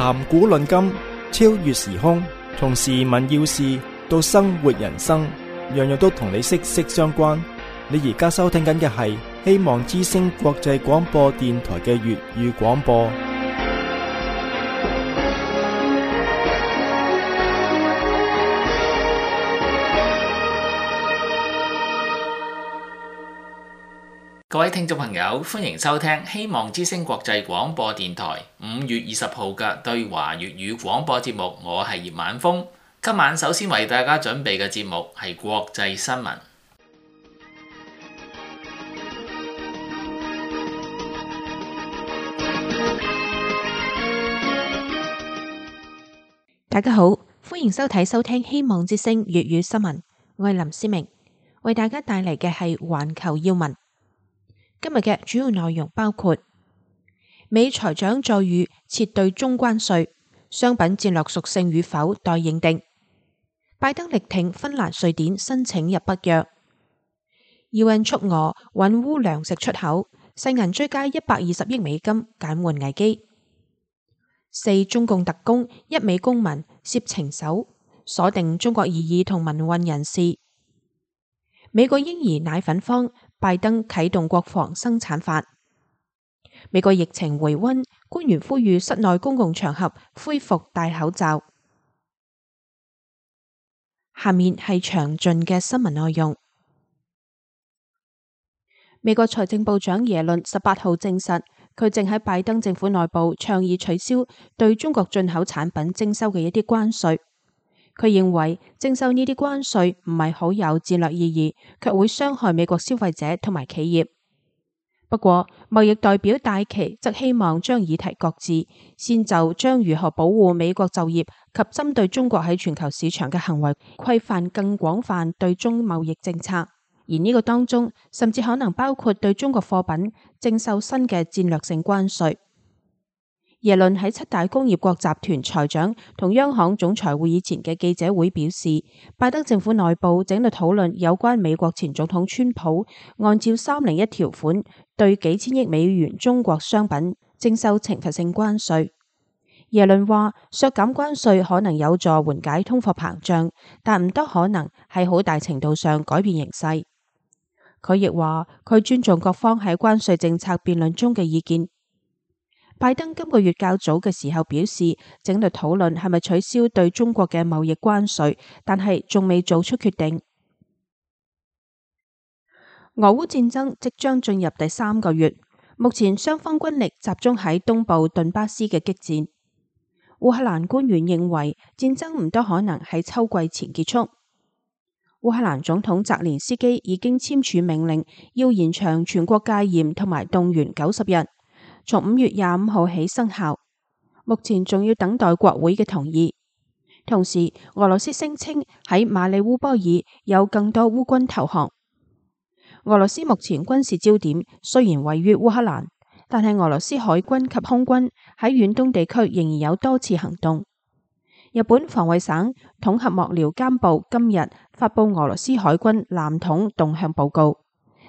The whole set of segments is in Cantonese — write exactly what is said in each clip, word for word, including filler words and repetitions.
談古論今，超越時空，從時聞要事到生活人生，樣樣都同你息息相關。你而家收聽緊嘅係希望之聲國際廣播電台嘅粵語廣播。各位聽眾朋友，歡迎收聽希望之聲國際廣播電台五月二十號嘅對華粵語廣播節目，我係葉晚風。今晚首先為大家準備嘅節目係國際新聞。大家好，歡迎收睇收聽希望之聲粵語新聞，我係林思明，為大家帶嚟嘅係環球要聞。今日嘅主要內容包括美財長再遇撤對中關稅，商品戰略屬性與否待認定；拜登力挺芬蘭、瑞典申請入北約；U N 促俄穩烏糧食出口，世銀追加一百二十億美金減緩危機；四中共特工一美公民涉情搜，鎖定中國異議同民運人士；美國嬰兒奶粉荒，拜登啟動國防生產法；美國疫情回溫，官員呼籲室內公共場合恢復戴口罩。下面係詳盡嘅新聞內容。美國財政部長耶倫十八號證實，佢正喺拜登政府內部倡議取消對中國進口產品徵收嘅一啲關稅。佢認為徵收呢啲關稅唔係好有戰略意義，卻會傷害美國消費者同埋企業。不過，貿易代表戴琪則希望將議題擱置，先就將如何保護美國就業及針對中國喺全球市場嘅行為規範更廣泛對中貿易政策，而呢個當中甚至可能包括對中國貨品徵收新嘅戰略性關稅。耶倫喺七大工業國集團財長同央行總裁會議前嘅記者會表示，拜登政府內部正喺度討論有關美國前總統川普按照三零一條款對幾千億美元中國商品徵收懲罰性關稅。耶倫話，削減關稅可能有助緩解通貨膨脹，但唔多可能喺好大程度上改變形勢。佢亦話，佢尊重各方喺關稅政策辯論中嘅意見。拜登今個月較早嘅時候表示，正喺度討論係咪取消對中國嘅貿易關稅，但係仲未做出決定。俄烏戰爭即將進入第三個月，目前雙方軍力集中喺東部頓巴斯嘅激戰。烏克蘭官員認為戰爭唔多可能喺秋季前結束。烏克蘭總統澤連斯基已經簽署命令，要延長全國戒嚴同埋動員九十日。從五月廿五號起生效，目前仲要等待國會嘅同意。同時，俄羅斯聲稱喺馬里烏波爾有更多烏軍投降。俄羅斯目前軍事焦點雖然位於烏克蘭，但係俄羅斯海軍及空軍喺遠東地區仍然有多次行動。日本防衛省統合幕僚監部今日發布俄羅斯海軍艦統動向報告，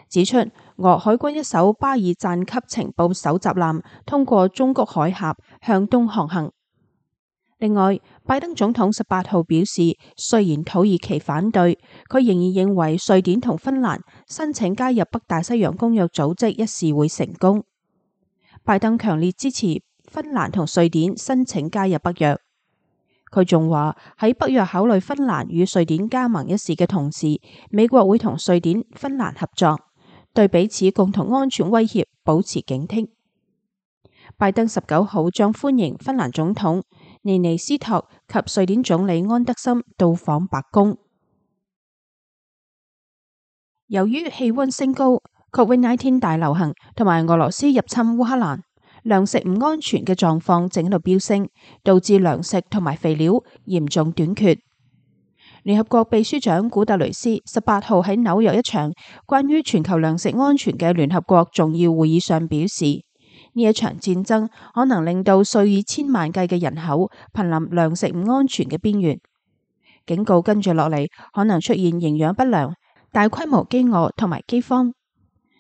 指出俄海軍一艘巴爾贊級情報搜集艦通過中谷海峽向東航行。另外，拜登總統十八號表示，雖然土耳其反對，佢仍然認為瑞典同芬蘭申請加入北大西洋公約組織一事會成功。拜登強烈支持芬蘭同瑞典申請加入北約。佢仲話喺北約考慮芬蘭與瑞典加盟一事嘅同時，美國會同瑞典、芬蘭合作，對彼此共同安全威脅保持警惕。拜登十九號將歡迎芬蘭總統尼尼斯托及瑞典總理安德森到訪白宮。由於氣溫升高、Covid 十九 大流行同埋俄羅斯入侵烏克蘭，糧食唔安全嘅狀況正喺度飆升，導致糧食同埋肥料嚴重短缺。聯合國秘書長古特雷斯十八號喺紐約一場關於全球糧食安全嘅聯合國重要會議上表示，呢一場戰爭可能令到數以千萬計嘅人口瀕臨糧食唔安全嘅邊緣，警告跟住落嚟可能出現營養不良、大規模飢餓同埋饑荒。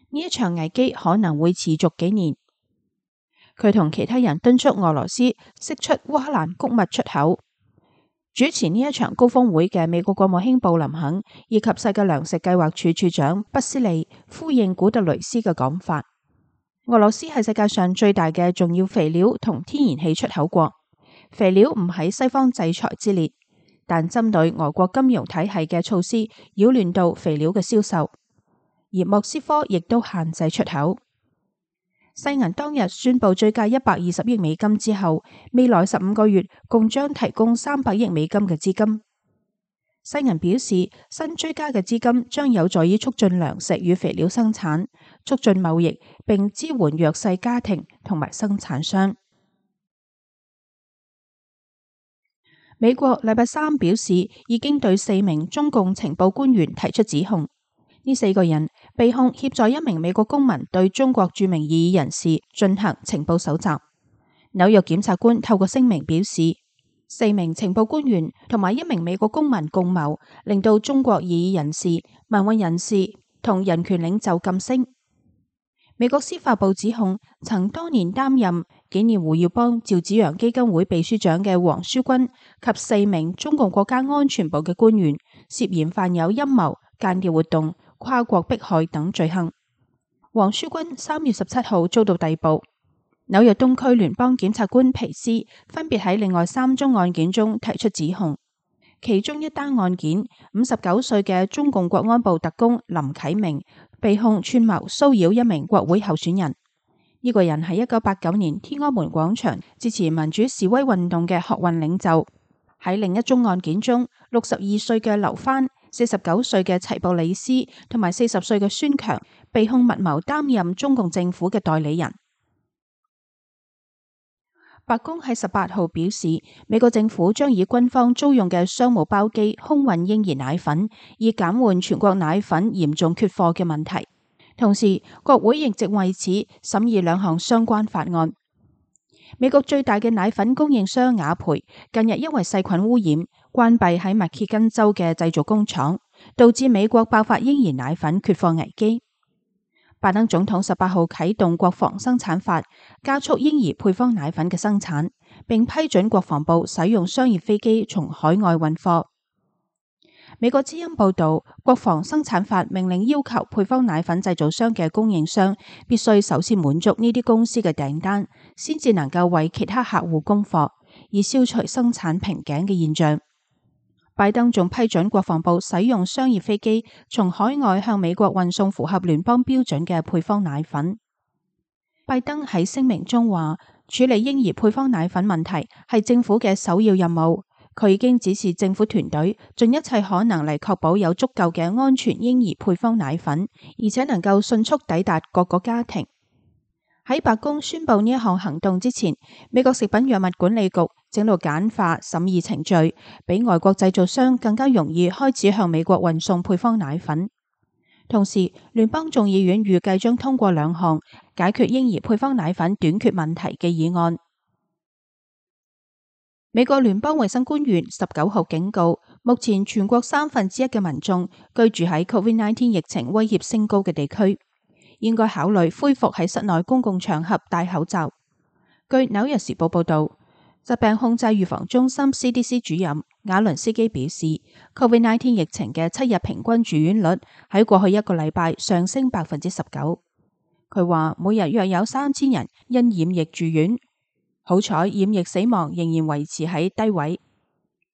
呢一場危機可能會持續幾年。佢同其他人敦促俄羅斯釋出烏克蘭穀物出口。主持呢一場高峰會嘅美國國務卿布林肯以及世界糧食計劃署署長畢斯利呼應古特雷斯嘅講法。俄羅斯係世界上最大嘅重要肥料同天然氣出口國，肥料唔喺西方制裁之列，但針對俄國金融體系嘅措施擾亂到肥料嘅銷售，而莫斯科亦都限制出口。世銀當日宣布追加一百二十億美金之後，未來十五個月共將提供三百億美金嘅資金。世銀表示，新追加嘅資金將有助於促進糧食與肥料生產，促進貿易，並支援弱勢家庭同埋生產商。美國禮拜三表示，已經對四名中共情報官員提出指控。呢四個人被控協助一名美國公民對中國著名異議人士進行情報搜集。紐約檢察官透過聲明表示，四名情報官員同埋一名美國公民共謀，令到中國異議人士、民運人士同人權領袖噤聲。美國司法部指控，曾多年擔任紀念胡耀邦趙紫陽基金會秘書長嘅黃書軍及四名中共國家安全部嘅官員涉嫌犯有陰謀、間諜活動、跨國迫害等罪行。黃書軍三月十七號遭到逮捕。紐約東區聯邦檢察官皮斯分別喺另外三宗案件中提出指控。其中一單案件，五十九歲嘅中共國安部特工林啟明被控串謀騷擾一名國會候選人。呢、這個人係一九八九年天安門廣場支持民主示威運動嘅學運領袖。喺另一宗案件中，六十二歲嘅劉帆、四十九歲嘅齊布里斯同埋四十歲嘅孫強被控密謀擔任中共政府嘅代理人。白宮喺十八號表示，美國政府將以軍方租用嘅商務包機空運嬰兒奶粉，以減緩全國奶粉嚴重缺貨嘅問題。同時，國會亦正為此審議兩項相關法案。美國最大嘅奶粉供應商雅培近日因為細菌污染，關閉喺密歇根州嘅製造工廠，導致美國爆發嬰兒奶粉缺貨危機。拜登總統十八號啟動國防生產法，加速嬰兒配方奶粉嘅生產，並批准國防部使用商業飛機從海外運貨。美國之音報道，國防生產法命令要求配方奶粉製造商嘅供應商必須首先滿足呢啲公司嘅訂單，先至能夠為其他客戶供貨，以消除生產瓶頸嘅現象。拜登仲批准國防部使用商業飛機從海外向美國運送符合聯邦標準嘅配方奶粉。拜登喺聲明中話，處理嬰兒配方奶粉問題係政府嘅首要任務。佢已經指示政府團隊盡一切可能嚟確保有足夠嘅安全嬰兒配方奶粉，而且能夠迅速抵達各個家庭。喺白宮宣布呢一項行動之前，美國食品藥物管理局正度簡化審議程序，比外國製造商更加容易開始向美國運送配方奶粉。同時，聯邦眾議院預計將通過兩項解決嬰兒配方奶粉短缺問題嘅議案。美國聯邦衛生官員十九號警告，目前全國三分之一嘅民眾居住喺 COVID 十九 疫情威脅升高嘅地區，應該考慮恢復喺室內公共場合戴口罩。據紐約時報報道，疾病控制預防中心 C D C 主任瓦倫斯基表示 ，COVID 十九 疫情嘅七日平均住院率喺過去一個禮拜上升百分之十九。佢話每日約有三千人因染疫住院。好彩染疫死亡仍然維持喺低位。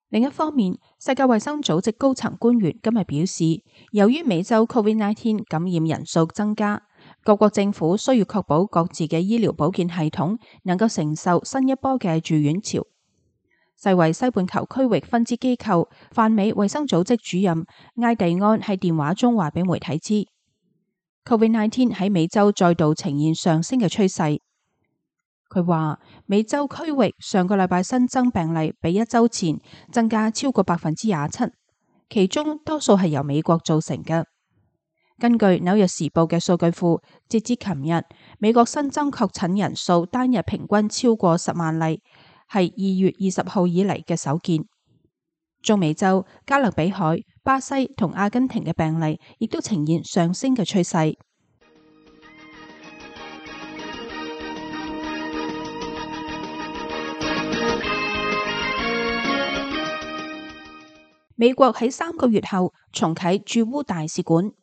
另一方面，世界衛生組織高層官員今日表示，由於美洲 COVID 十九 感染人數增加，各國政府需要確保各自嘅醫療保健系統能夠承受新一波嘅住院潮。世衛西半球區域分支機構泛美衛生組織主任埃蒂安喺電話中話俾媒體知 ，COVID 十九 喺美洲再度呈現上升嘅趨勢。佢話美洲區域上個禮拜新增病例比一周前增加超過百分之廿七，其中多數係由美國造成嘅。根據紐約時報嘅數據庫，截至琴日，美國新增確診人數單日平均超過十萬例，係二月二十號以嚟嘅首見。中美洲、加勒比海、巴西同阿根廷嘅病例亦都呈現上升嘅趨勢。美國喺三個月後重啟駐烏大使館。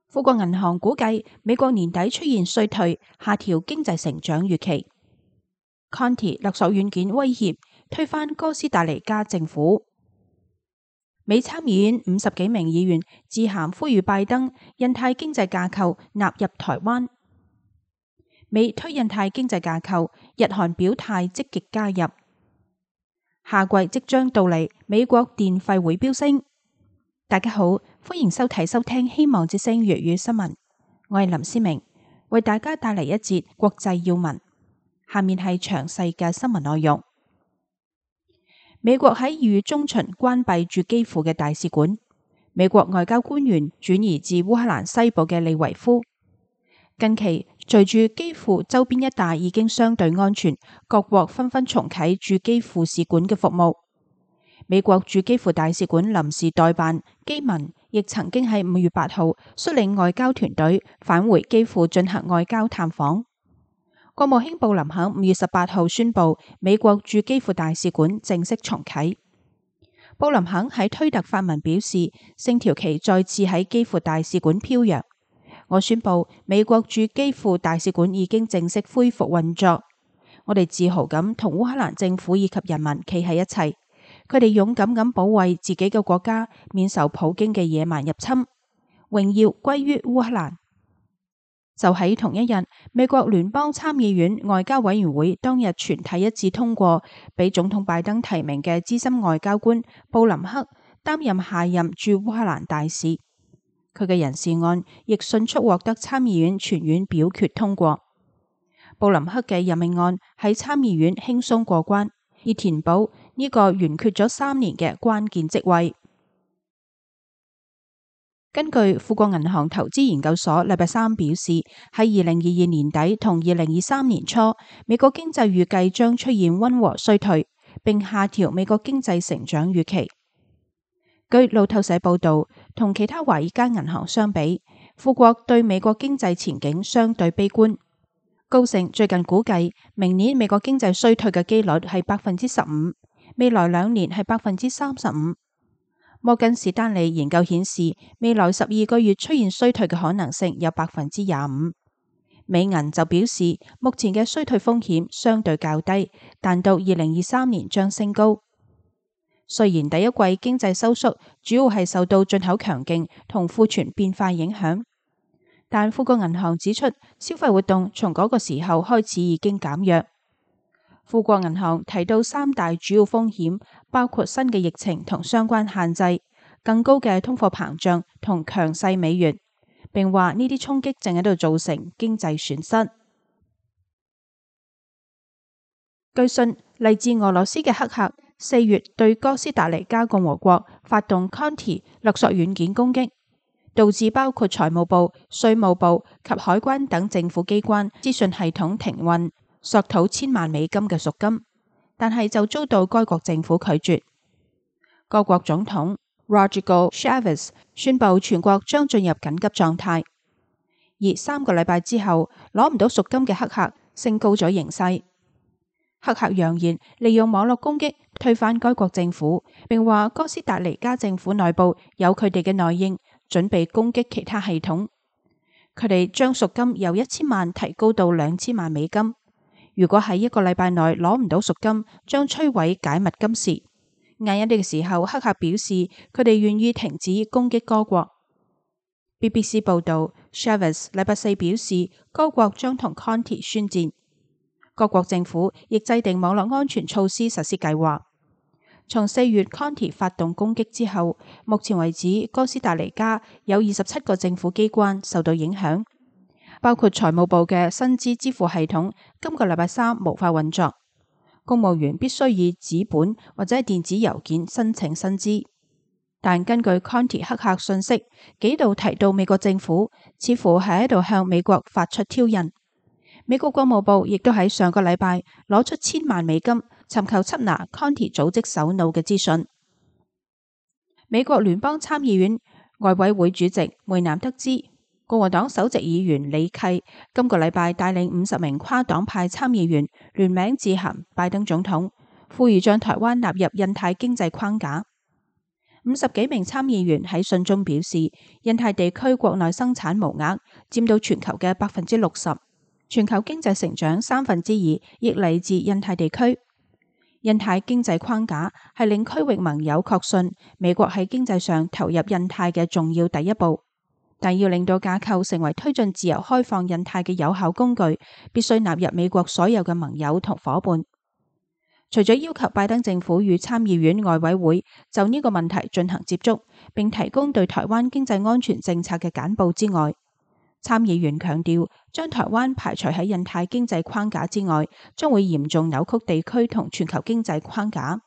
富國銀行估計美國年底出現衰退，下調經濟成長預期。Conti 勒索軟件威脅推翻哥斯達黎加政府。美參議院五十幾名議員致函呼籲拜登印太經濟架構納入台灣。美推印太經濟架構，日韓表態積極加入。夏季即將到嚟，美國電費會飆升。大家好，歡迎收睇收聽希望之聲粵語新聞，我係林思明，為大家帶嚟一節國際要聞。下面係詳細嘅新聞內容。美國喺二月中旬關閉駐基輔嘅大使館，美國外交官員轉移至烏克蘭西部嘅利維夫。近期隨住基輔周邊一帶已經相對安全，各國紛紛重啟駐基輔使館嘅服務。美國駐基輔大使館臨時代辦基民亦曾經喺五月八號率領外交團隊返回基輔進行外交探訪。國務卿布林肯五月十八號宣布，美國駐基輔大使館正式重啟。布林肯喺推特發文表示，星條旗再次喺基輔大使館飄揚。我宣布，美國駐基輔大使館已經正式恢復運作。我哋自豪咁同烏克蘭政府以及人民企喺一齊。佢哋勇敢咁保衛自己嘅國家免受普京嘅野蠻入侵，榮耀歸於烏克蘭。就喺同一日，美國聯邦參議院外交委員會當日全體一致通過，俾總統拜登提名嘅資深外交官布林克擔任下任駐烏克蘭大使。佢嘅人事案亦迅速獲得參議院全院表決通過。布林克嘅任命案喺參議院輕鬆過關，以填補呢個懸缺咗三年嘅關鍵職位。根據富國銀行投資研究所禮拜三表示，喺二零二二年底同二零二三年初，美國經濟預計將出現溫和衰退，並下調美國經濟成長預期。據路透社報道，同其他華爾街銀行相比，富國對美國經濟前景相對悲觀。高盛最近估計，明年美國經濟衰退嘅機率係百分之十五，未來兩年係百分之三十五。摩根士丹利研究顯示，未來十二個月出現衰退嘅可能性有百分之廿五。美銀就表示，目前嘅衰退風險相對較低，但到二零二三年將升高。雖然第一季經濟收縮主要係受到進口強勁同庫存變化影響，但富國銀行指出，消費活動從嗰個時候開始已經減弱。富國銀行提到三大主要風險，包括新嘅疫情同相關限制、更高嘅通貨膨脹同強勢美元，並話呢啲衝擊正喺度造成經濟損失。據信，嚟自俄羅斯嘅黑客四月對哥斯達黎加共和國發動 Conti 勒索軟件攻擊，導致包括財務部、稅務部及海關等政府機關資訊系統停運，索討千萬美金嘅贖金，但係就遭到該國政府拒絕。各國總統 Rodrigo Chaves 宣布全國將進入緊急狀態，而三個禮拜之後攞唔到贖金嘅黑客升高咗形勢。黑客揚言利用網絡攻擊推翻該國政府，並話哥斯達黎加政府內部有佢哋嘅內應，準備攻擊其他系統。佢哋將贖金由一千萬提高到兩千萬美金。如果喺一個禮拜內攞唔到贖金，將摧毀解密金匙。晏一啲嘅時候，黑客表示佢哋願意停止攻擊該國。B B C 報道 Chaves 禮拜四表示，該國將同 Conti 宣戰。各國政府亦制定網絡安全措施實施計劃。從四月 Conti 發動攻擊之後，目前為止哥斯達黎加有二十七個政府機關受到影響，包括財務部嘅薪資支付系統今個禮拜三無法運作，公務員必須以紙本或者係電子郵件申請薪資。但根據 Conti 黑客信息，幾度提到美國政府，似乎係喺度向美國發出挑釁。美國國務部亦都喺上個禮拜攞出千萬美金，尋求緝拿 Conti 組織首腦嘅資訊。美國聯邦參議院外委會主席梅南得知，共和黨首席議員李契今個禮拜帶領五十名跨黨派參議員聯名致函拜登總統，呼籲將台灣納入印太經濟框架。五十幾名參議員喺信中表示，印太地區國內生產毛額佔到全球嘅百分之六十，全球經濟成長三分之二亦嚟自印太地區。印太經濟框架係令區域盟友確信美國喺經濟上投入印太嘅重要第一步，但要令到架構成為推進自由開放印太嘅有效工具，必須納入美國所有嘅盟友同夥伴。除咗要求拜登政府與參議院外委會就呢個問題進行接觸，並提供對台灣經濟安全政策嘅簡報之外，參議員強調將台灣排除喺印太經濟框架之外，將會嚴重扭曲地區同全球經濟框架。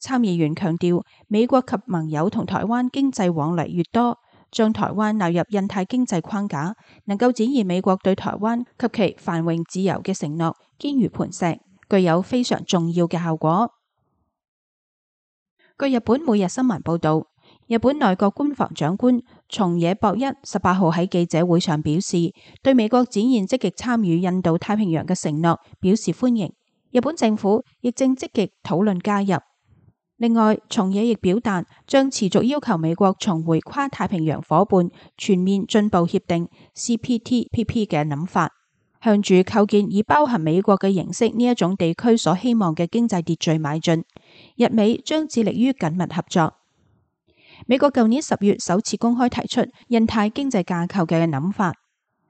參議員強調，美國及盟友同台灣經濟往來越多，將台灣納入印太經濟框架，能夠展現美國對台灣及其繁榮自由嘅承諾堅如磐石，具有非常重要嘅效果。據日本每日新聞報道，日本內閣官房長官松野博一十八號喺記者會上表示，對美國展現積極參與印度太平洋嘅承諾表示歡迎。日本政府亦正積極討論加入。另外，松野亦表達將持續要求美國重回跨太平洋夥伴全面進步協定 C P T P P 嘅諗法，向住構建以包含美國嘅形式呢一種地區所希望嘅經濟秩序邁進。日美將致力於緊密合作。美國舊年十月首次公開提出印太經濟架構嘅諗法，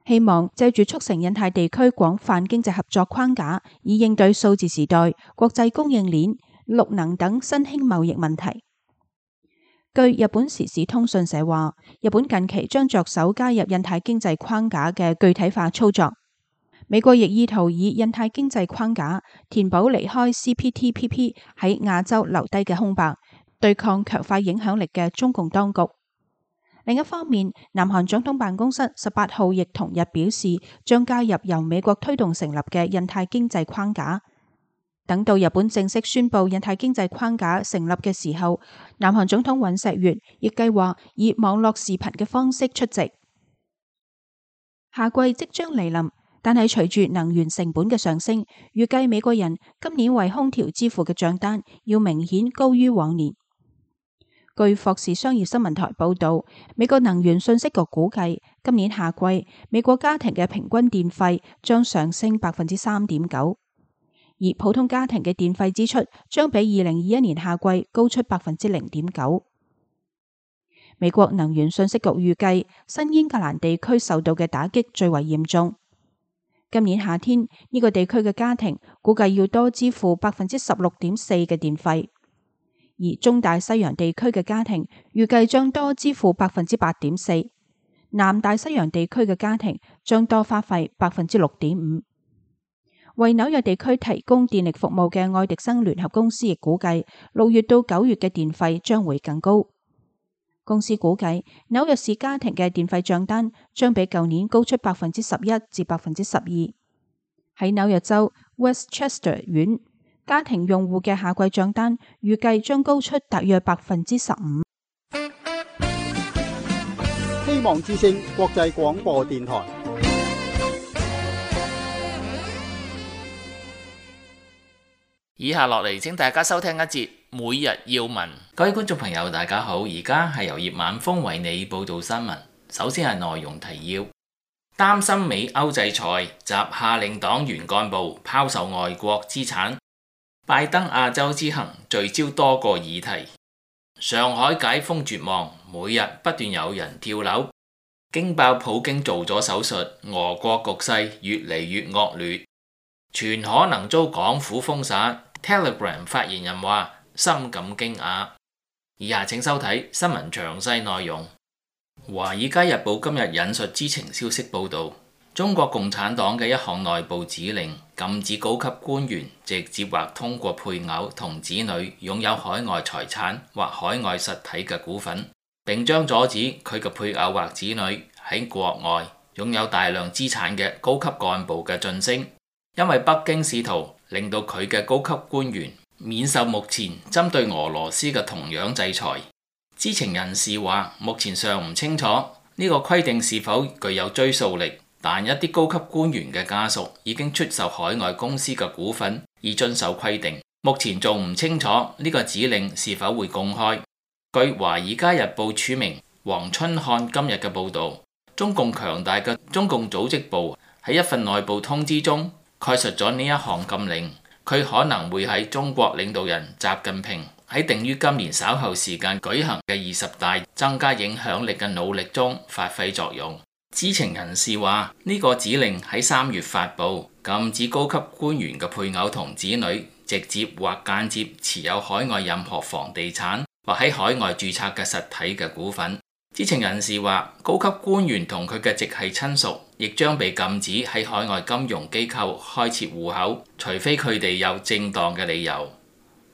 希望借住促成印太地區廣泛經濟合作框架，以應對數字時代、國際供應鏈、綠能等新興貿易問題。據日本時事通訊社話，日本近期將着手加入印太經濟框架嘅具體化操作。美國亦意圖以印太經濟框架填補離開 C P T P P 喺亞洲留低嘅空白，對抗強化影響力嘅中共當局。另一方面，南韓總統辦公室十八號亦同日表示，將加入由美國推動成立嘅印太經濟框架。等到日本正式宣布印太經濟框架成立嘅時候，南韓總統尹錫悅亦計劃以網絡視頻嘅方式出席。夏季即將嚟臨，但係隨住能源成本嘅上升，預計美國人今年為空調支付嘅賬單要明顯高於往年。據霍士商業新聞台報道，美國能源信息局估計，今年夏季美國家庭嘅平均電費將上升百分之三點九，而普通家庭嘅電費支出將比二零二一年夏季高出百分之零點九。美國能源信息局預計，新英格蘭地區受到嘅打擊最為嚴重。今年夏天呢個地區嘅家庭估計要多支付百分之十六點四嘅電費。而中大西洋地區嘅家庭預計將多支付百分之八點四，南大西洋地區嘅家庭將多花費百分之六點五。為紐約地區提供電力服務嘅愛迪生聯合公司亦估計，六月到九月嘅電費將會更高。公司估計紐約市家庭嘅電費賬單將比舊年高出百分之十一至百分之十二。喺紐約州 Westchester 縣，家庭用戶嘅夏季賬單預計將高出大約百分之十五。希望之聲國際廣播電台。以下落嚟，請大家收聽一節每日要聞。各位觀眾朋友，大家好，而家係由葉晚風為你報道新聞。首先係內容提要：擔心美歐制裁，習下令黨員幹部拋售外國資產。拜登亞洲之行聚焦多個議題。上海解封絕望，每日不斷有人跳樓。驚爆普京做咗手術，俄國局勢越嚟越惡劣，全可能遭港府封殺。Telegram 發言人話深感驚訝。以下請收睇新聞詳細內容。華爾街日報今日引述知情消息報道，中國共產黨嘅一項內部指令禁止高級官員直接或通過配偶同子女擁有海外財產或海外實體嘅股份，並將阻止佢嘅配偶或子女喺國外擁有大量資產嘅高級幹部嘅晉升，因為北京試圖令到佢嘅高級官員免受目前針對俄羅斯嘅同樣制裁。知情人士話，目前尚唔清楚呢個規定是否具有追溯力，但一啲高級官員嘅家屬已經出售海外公司嘅股份以遵守規定。目前仲唔清楚呢個指令是否會公開。據《華爾街日報》署名黃春漢今日嘅報導，中共強大嘅中共組織部喺一份內部通知中概述咗呢一項禁令，佢可能會喺中國領導人習近平喺定於今年稍後時間舉行嘅二十大增加影響力嘅努力中發揮作用。知情人士話，呢個指令喺三月發布，禁止高級官員嘅配偶同子女直接或間接持有海外任何房地產或喺海外註冊嘅實體嘅股份。知情人士話，高級官員同佢嘅直系親屬亦將被禁止喺海外金融機構開設戶口，除非佢哋有正當嘅理由。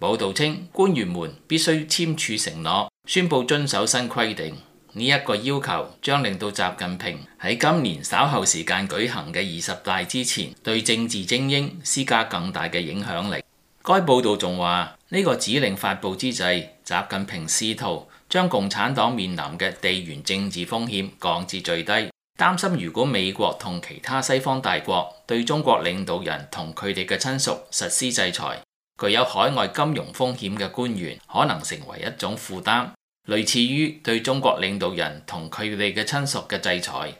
報導稱，官員們必須簽署承諾，宣佈遵守新規定。呢一個要求將令到習近平喺今年稍後時間舉行嘅二十大之前，對政治精英施加更大嘅影響力。該報導仲話，呢個指令發布之際，習近平試圖將共產黨面臨嘅地緣政治風險降至最低，擔心如果美國同其他西方大國對中國領導人同佢哋嘅親屬實施制裁，具有海外金融風險嘅官員可能成為一種負擔，類似於對中國領導人同佢哋嘅親屬嘅制裁。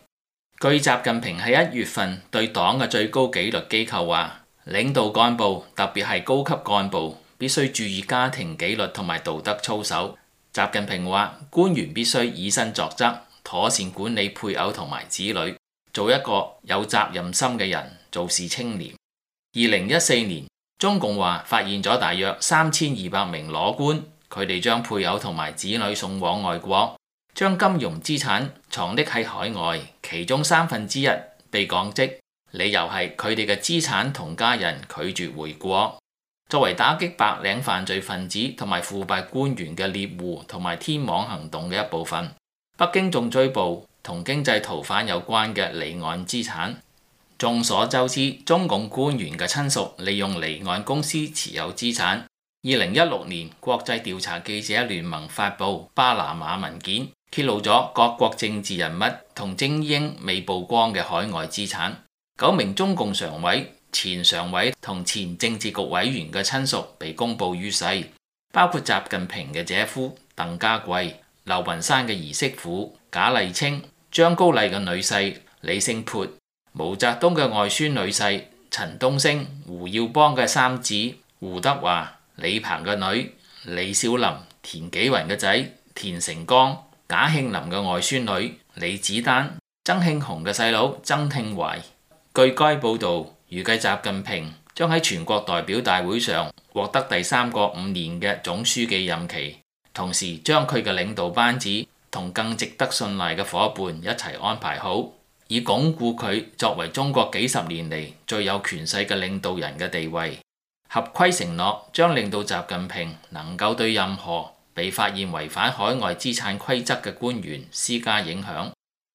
據習近平喺一月份對黨嘅最高紀律機構話，領導幹部特別係高級幹部必須注意家庭紀律同埋道德操守。習近平話，官員必須以身作則，妥善管理配偶同埋子女，做一個有責任心嘅人，做事清廉。二零一四年，中共話發現咗大約三千二百名裸官，佢哋將配偶同埋子女送往外國，將金融資產藏匿喺海外，其中三分之一被降職，理由係佢哋嘅資產同家人拒絕回國。作為打擊白領犯罪分子同埋腐敗官員嘅獵戶同埋天網行動嘅一部分，北京仲追捕同經濟逃犯有關嘅離岸資產。眾所周知，中共官員嘅親屬利用離岸公司持有資產。二零一六年，國際調查記者聯盟發布巴拿馬文件，揭露咗各國政治人物同精英未曝光嘅海外資產。九名中共常委、前常委同前政治局委員嘅親屬被公布於世，包括習近平嘅姐夫鄧家貴、劉雲山嘅兒媳婦賈麗清、張高麗嘅女婿李勝潑、毛澤東嘅外孫女婿陳東升、胡耀邦嘅三子胡德華、李鵬嘅女李小琳、田紀雲嘅仔田成剛、賈慶林嘅外孫女李子丹、曾慶紅嘅細佬曾慶懷。據該報導，預計習近平將喺全國代表大會上獲得第三個五年嘅總書記任期，同時將佢嘅領導班子同更值得信賴嘅伙伴一齊安排好，以鞏固佢作為中國幾十年嚟最有權勢嘅領導人嘅地位。合規承諾將令到習近平能夠對任何被發現違反海外資產規則嘅官員施加影響，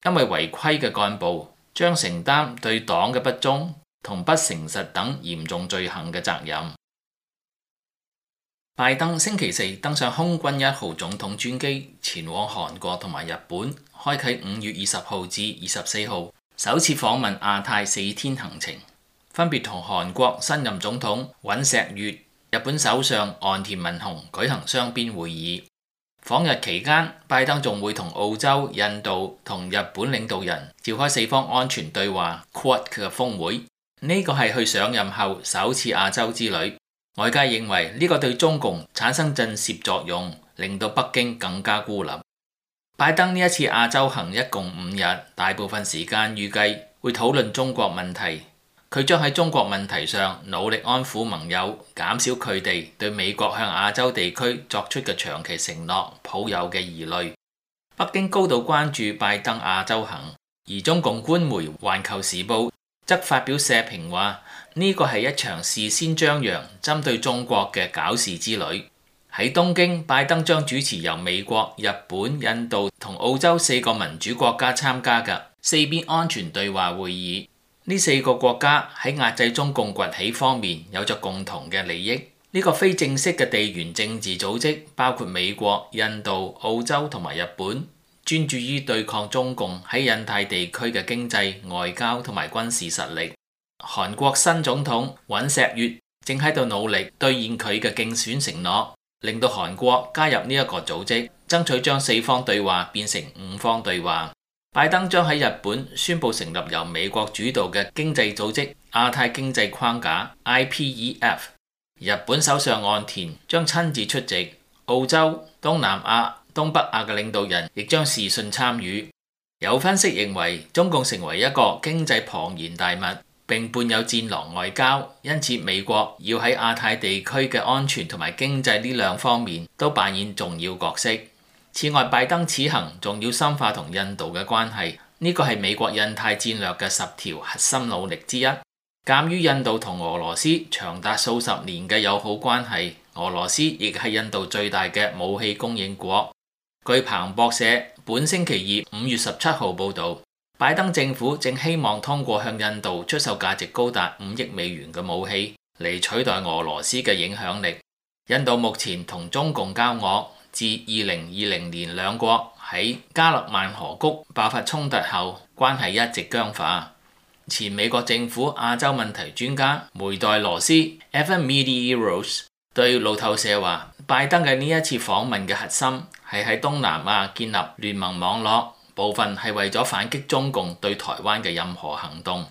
因為違規嘅幹部將承擔對黨嘅不忠同不誠實等嚴重罪行嘅責任。拜登星期四登上空軍一號總統專機前往韓國同埋日本，開啟五月二十號至二十四號首次訪問亞太四天行程，分別同韓國新任總統尹錫悅、日本首相岸田文雄舉行雙邊會議。訪日期間，拜登仲會同澳洲、印度同日本領導人召開四方安全對話 Quad 嘅峰會。呢個係佢上任後首次亞洲之旅。外界認為呢個對中共產生震懾作用，令到北京更加孤立。拜登呢一次亞洲行一共五日，大部分時間預計會討論中國問題。佢將喺中國問題上努力安撫盟友，減少佢哋對美國向亞洲地區作出嘅長期承諾抱有嘅疑慮。北京高度關注拜登亞洲行，而中共官媒《環球時報》則發表社評話，呢個係一場事先張揚針對中國嘅搞事之旅。喺東京，拜登將主持由美國、日本、印度同澳洲四個民主國家參加嘅四邊安全對話會議。呢四個國家喺壓制中共崛起方面有着共同嘅利益。呢個非正式嘅地緣政治組織包括美國、印度、澳洲同埋日本，專注於對抗中共喺印太地區嘅經濟、外交同埋軍事實力。韓國新總統尹錫悅正喺度努力兌現佢嘅競選承諾，令到韓國加入呢一個組織，爭爭取將四方對話變成五方對話。拜登將喺日本宣布成立由美國主導嘅經濟組織亞太經濟框架 I P E F， 日本首相岸田將親自出席，澳洲、東南亞、東北亞嘅領導人亦將視訊參與。有分析認為，中共成為一個經濟龐然大物，並伴有戰狼外交，因此美國要喺亞太地區嘅安全同埋經濟呢兩方面都扮演重要角色。此外，拜登此行仲要深化同印度嘅關係，呢個係美國印太戰略嘅十條核心努力之一。鑑於印度同俄羅斯長達數十年嘅友好關係，俄羅斯亦係印度最大嘅武器供應國。據彭博社本星期二五月十七號報導，拜登政府正希望通過向印度出售價值高達五億美元嘅武器嚟取代俄羅斯嘅影響力。印度目前同中共交惡，自二零二零年兩國喺加勒萬河谷爆發衝突後，關係一直僵化。前美國政府亞洲問題專家梅代羅斯 Evan Medeiros 對路透社話，拜登嘅呢一次訪問嘅核心係喺東南亞建立聯盟網絡，部分係為咗反擊中共對台灣嘅任何行動。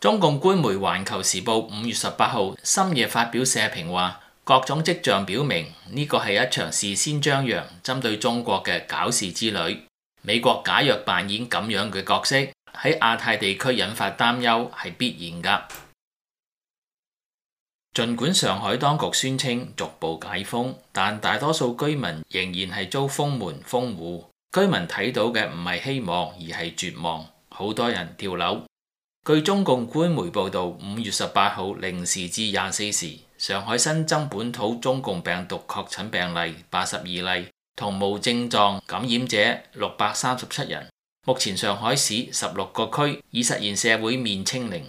中共官媒環球時報五月十八號深夜發表社評話，各種跡象表明呢個係一場事先張揚針對中國嘅搞事之旅。美國假若扮演咁樣嘅角色，喺亞太地區引發擔憂係必然㗎。儘管上海當局宣稱逐步解封，但大多數居民仍然係遭封門封戶。居民睇到嘅唔係希望，而係絕望。好多人跳樓。據中共官媒報導，五月十八號零時至廿四時，上海新增本土中共病毒確診病例八十二例，同無症狀感染者六百三十七人。目前上海市十六個區已實現社會面清零。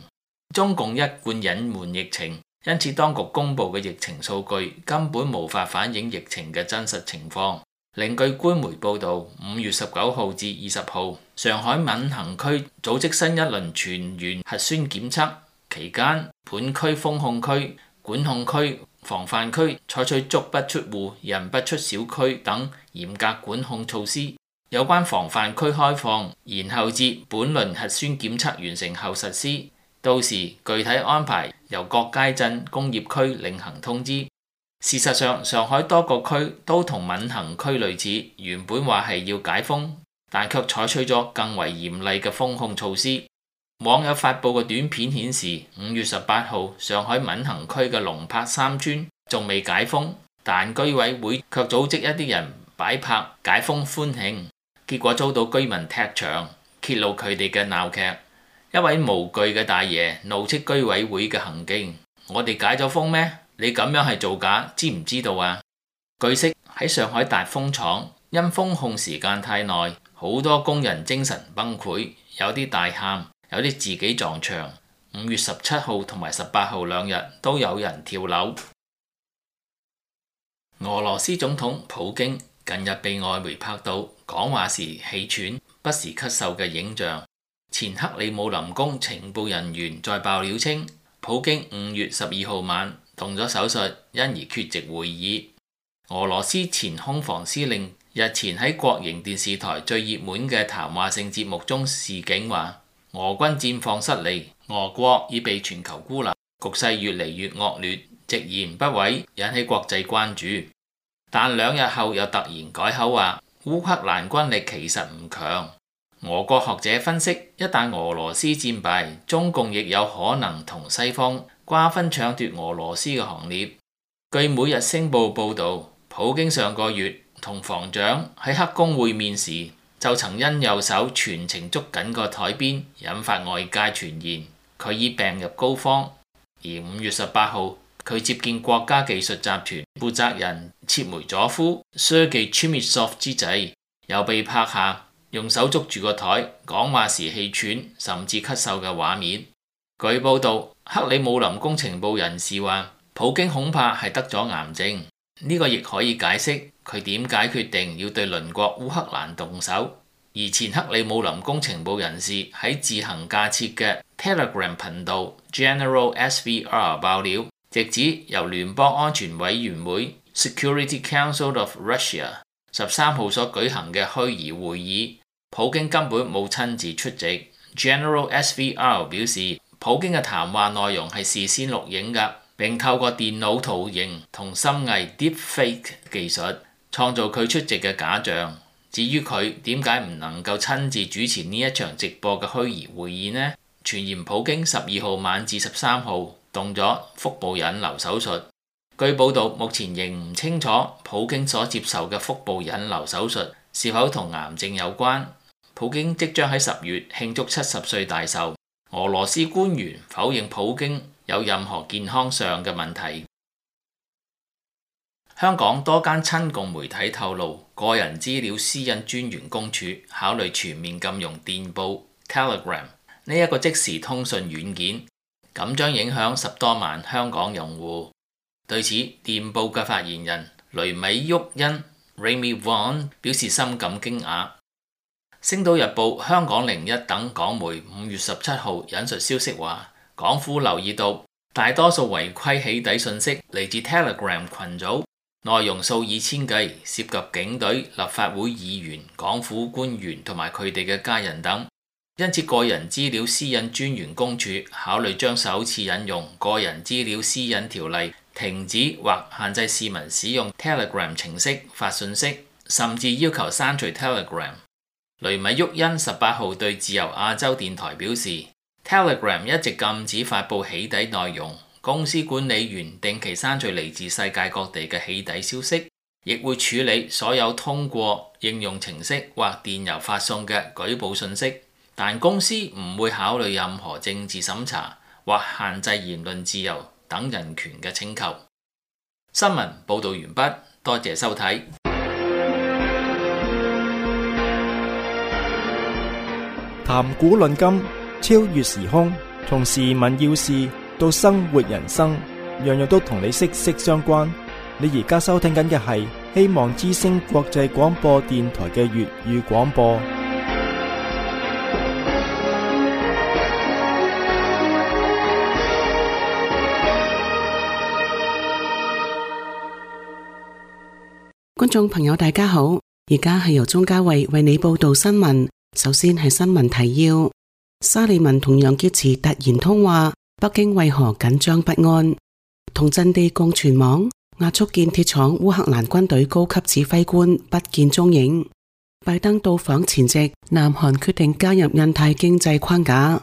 中共一貫隱瞞疫情，因此當局公布嘅疫情數據根本無法反映疫情嘅真實情況。另據官媒報導，五月十九號至二十號，上海閔行區組織新一輪全員核酸檢測期間，本區封控區、管控區、防範區採取足不出戶、人不出小區等嚴格管控措施。有關防範區開放，然後至本輪核酸檢測完成後實施，到時具體安排由各街鎮、工業區另行通知。事實上，上海多個區都同閔行區類似，原本話係要解封，但卻採取咗更為嚴厲嘅封控措施。網友發布嘅短片顯示，五月十八號上海閔行區嘅龍柏三村仲未解封，但居委會卻組織一啲人擺拍解封歡慶，結果遭到居民踢場，揭露佢哋嘅鬧劇。一位無懼嘅大爺怒斥居委會嘅行徑：我哋解咗封咩？你咁樣係造假，知唔知道啊？據悉喺上海達豐廠，因封控時間太耐，好多工人精神崩潰，有啲大喊，有啲自己撞牆。五月十七號同埋十八號兩日都有人跳樓。俄羅斯總統普京近日被外媒拍到講話時氣喘、不時咳嗽嘅影像。前克里姆林宮情報人員在爆料稱，普京五月十二號晚動咗手術，因而缺席會議。俄羅斯前空防司令日前喺國營電視台最熱門嘅談話性節目中示警話，俄軍戰況失利，俄國已被全球孤立，局勢越嚟越惡劣，直言不諱，引起國際關注。但兩日後又突然改口話，烏克蘭軍力其實唔強。俄國學者分析，一旦俄羅斯戰敗，中共亦有可能同西方瓜分搶奪俄羅斯嘅行列。據每日星報報導，普京上個月同防長喺黑宮會面時，就曾因右手全程捉緊個台邊，引發外界傳言佢已病入膏肓。而五月十八號，佢接見國家技術集團負責人切梅佐夫 Sergei Chemysov 之際，又被拍下用手捉住個台講話時氣喘甚至咳嗽嘅畫面。據報導，克里姆林宮情報人士話，普京恐怕係得咗癌症，呢個亦可以解釋佢點解決定要對鄰國烏克蘭動手。而前克里姆林宮情報人士喺自行架設嘅 Telegram 頻道 General S V R 爆料，直指由聯邦安全委員會 Security Council of Russia 十三號所舉行嘅虛擬會議，普京根本冇親自出席。General S V R 表示，普京嘅談話內容係事先錄影㗎，並透過電腦圖形同深偽 Deepfake 技術創造佢出席嘅假象。至於佢點解唔能夠親自主持呢一場直播嘅虛擬會議呢？傳言普京十二號晚至十三號動咗腹部引流手術。據報道，目前仍唔清楚普京所接受嘅腹部引流手術是否同癌症有關。普京即將喺十月慶祝七十歲大壽。俄羅斯官員否認普京有任何健康上嘅問題。香港多間親共媒體透露，個人資料私隱專員公署考慮全面禁用電報 Telegram 呢一個即時通訊軟件，咁將影響十多萬香港用戶。對此，電報嘅發言人雷米沃恩 Remy Vaughan 表示深感驚訝。星島日報、香港零一等港媒五月十七號引述消息話，港府留意到大多數違規起底信息嚟自 Telegram 群組，內容數以千計，涉及警隊、立法會議員、港府官員同埋佢哋嘅家人等。因此，個人資料私隱專員公署考慮將首次引用個人資料私隱條例，停止或限制市民使用 Telegram 程式發信息，甚至要求刪除 Telegram。雷米沃恩十八號對自由亞洲電台表示 ，Telegram 一直禁止發布起底內容，公司管理員定期刪除嚟自世界各地嘅起底消息，亦會處理所有通過應用程式或電郵發送嘅舉報信息，但公司唔會考慮任何政治審查或限制言論自由等人權嘅請求。新聞報導完畢，多謝收睇。談古論今，超越時空，從時聞要事到生活人生，樣樣都同你息息相關。你而家收聽緊嘅係希望之聲國際廣播電台嘅粵語廣播。觀眾朋友大家好，而家係由鍾嘉慧為你報道新聞。首先係新聞提要：沙利文同楊潔篪突然通話，北京為何緊張不安？同陣地共存網壓縮建鐵廠烏克蘭軍隊高級指揮官不見蹤影。拜登到訪前夕，南韓決定加入印太經濟框架。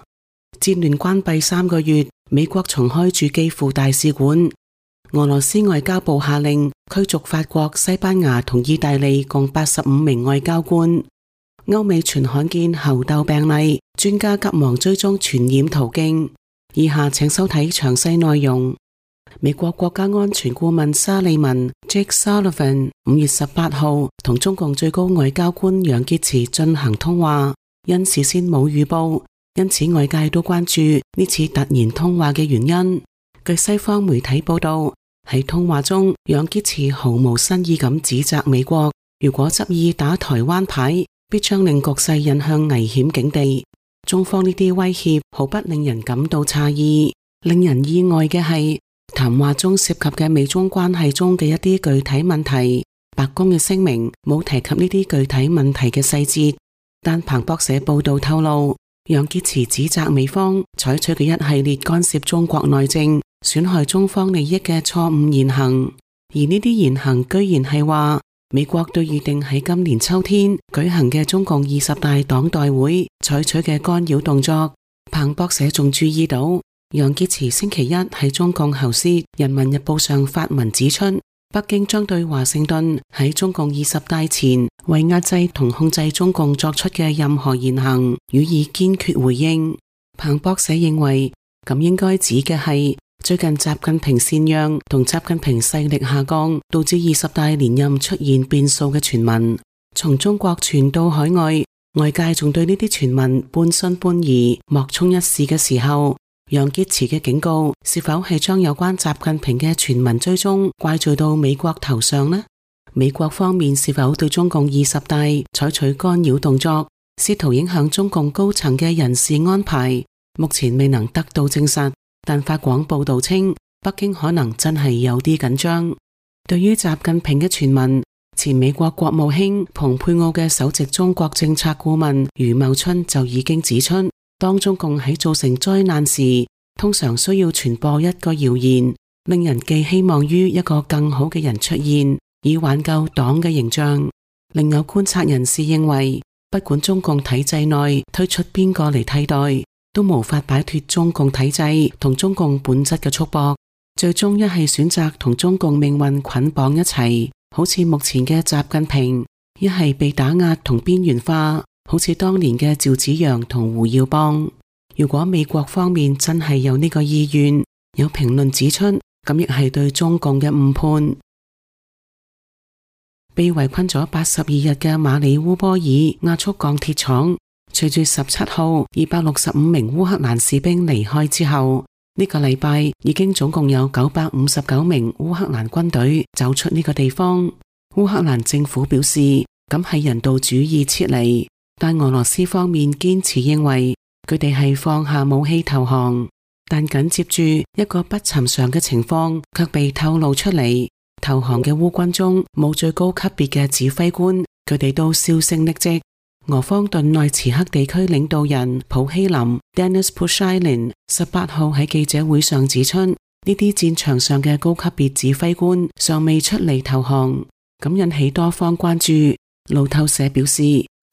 戰亂關閉三個月，美國重開駐基輔大使館。俄羅斯外交部下令驅逐法國、西班牙同意大利共八十五名外交官。歐美傳罕見猴痘病例，專家急忙追蹤傳染途徑。以下請收睇詳細內容。美國國家安全顧問沙利文 Jake Sullivan 五月十八號同中共最高外交官楊潔篪進行通話，因事先冇預報，因此外界都關注呢次突然通話嘅原因。據西方媒體報道，喺通話中，楊潔篪毫無新意咁指責美國，如果執意打台灣牌，必將令局勢引向危險境地。中方呢啲威脅毫不令人感到詫異，令人意外嘅係談話中涉及嘅美中關係中嘅一啲具體問題。白宮嘅聲明冇提及呢啲具體問題嘅細節，但彭博社報道透露，楊潔篪指責美方採取嘅一系列干涉中國內政、損害中方利益嘅錯誤言行，而呢啲言行居然係話美國對預定喺今年秋天舉行嘅中共二十大黨代會採取嘅干擾動作。彭博社仲注意到，楊潔篪星期一喺中共喉舌《人民日報》上發文指出，北京將對華盛頓喺中共二十大前為壓制同控制中共作出嘅任何言行予以堅決回應。彭博社認為，咁應該指嘅係最近習近平禪讓同習近平勢力下降，導致二十大連任出現變數嘅傳聞，從中國傳到海外，外界仲對呢啲傳聞半信半疑、莫衷一是嘅時候，楊潔篪嘅警告是否係將有關習近平嘅傳聞追蹤怪罪到美國頭上呢？美國方面是否對中共二十大採取干擾動作，試圖影響中共高層嘅人事安排，目前未能得到證實。但法廣報道稱，北京可能真係有啲緊張。對於習近平嘅傳聞，前美國國務卿蓬佩奧嘅首席中國政策顧問余茂春就已經指出，當中共喺造成災難時，通常需要傳播一個謠言，令人寄希望於一個更好嘅人出現，以挽救黨嘅形象。另有觀察人士認為，不管中共體制內推出邊個嚟替代，都無法擺脫中共體制同中共本質嘅束縛，最終一係選擇同中共命運捆綁一齊，好似目前嘅習近平；一係被打壓同邊緣化，好似當年嘅趙紫陽同胡耀邦。如果美國方面真係有呢個意願，有評論指出，咁亦係對中共嘅誤判。被圍困咗八十二日嘅馬里烏波爾亞速鋼鐵廠，隨住十七號二百六十五名烏克蘭士兵離開之後，呢個禮拜已經總共有九百五十九名烏克蘭軍隊走出呢個地方。烏克蘭政府表示，咁係人道主義撤離，但俄羅斯方面堅持認為佢哋係放下武器投降。但緊接住一個不尋常嘅情況卻被透露出嚟，投降嘅烏軍中冇最高級別嘅指揮官，佢哋都銷聲匿跡。俄方頓內茨克地區領導人普希林 Denis Pushilin 十八號喺記者會上指出，呢啲戰場上嘅高級別指揮官尚未出嚟投降，咁引起多方關注。路透社表示，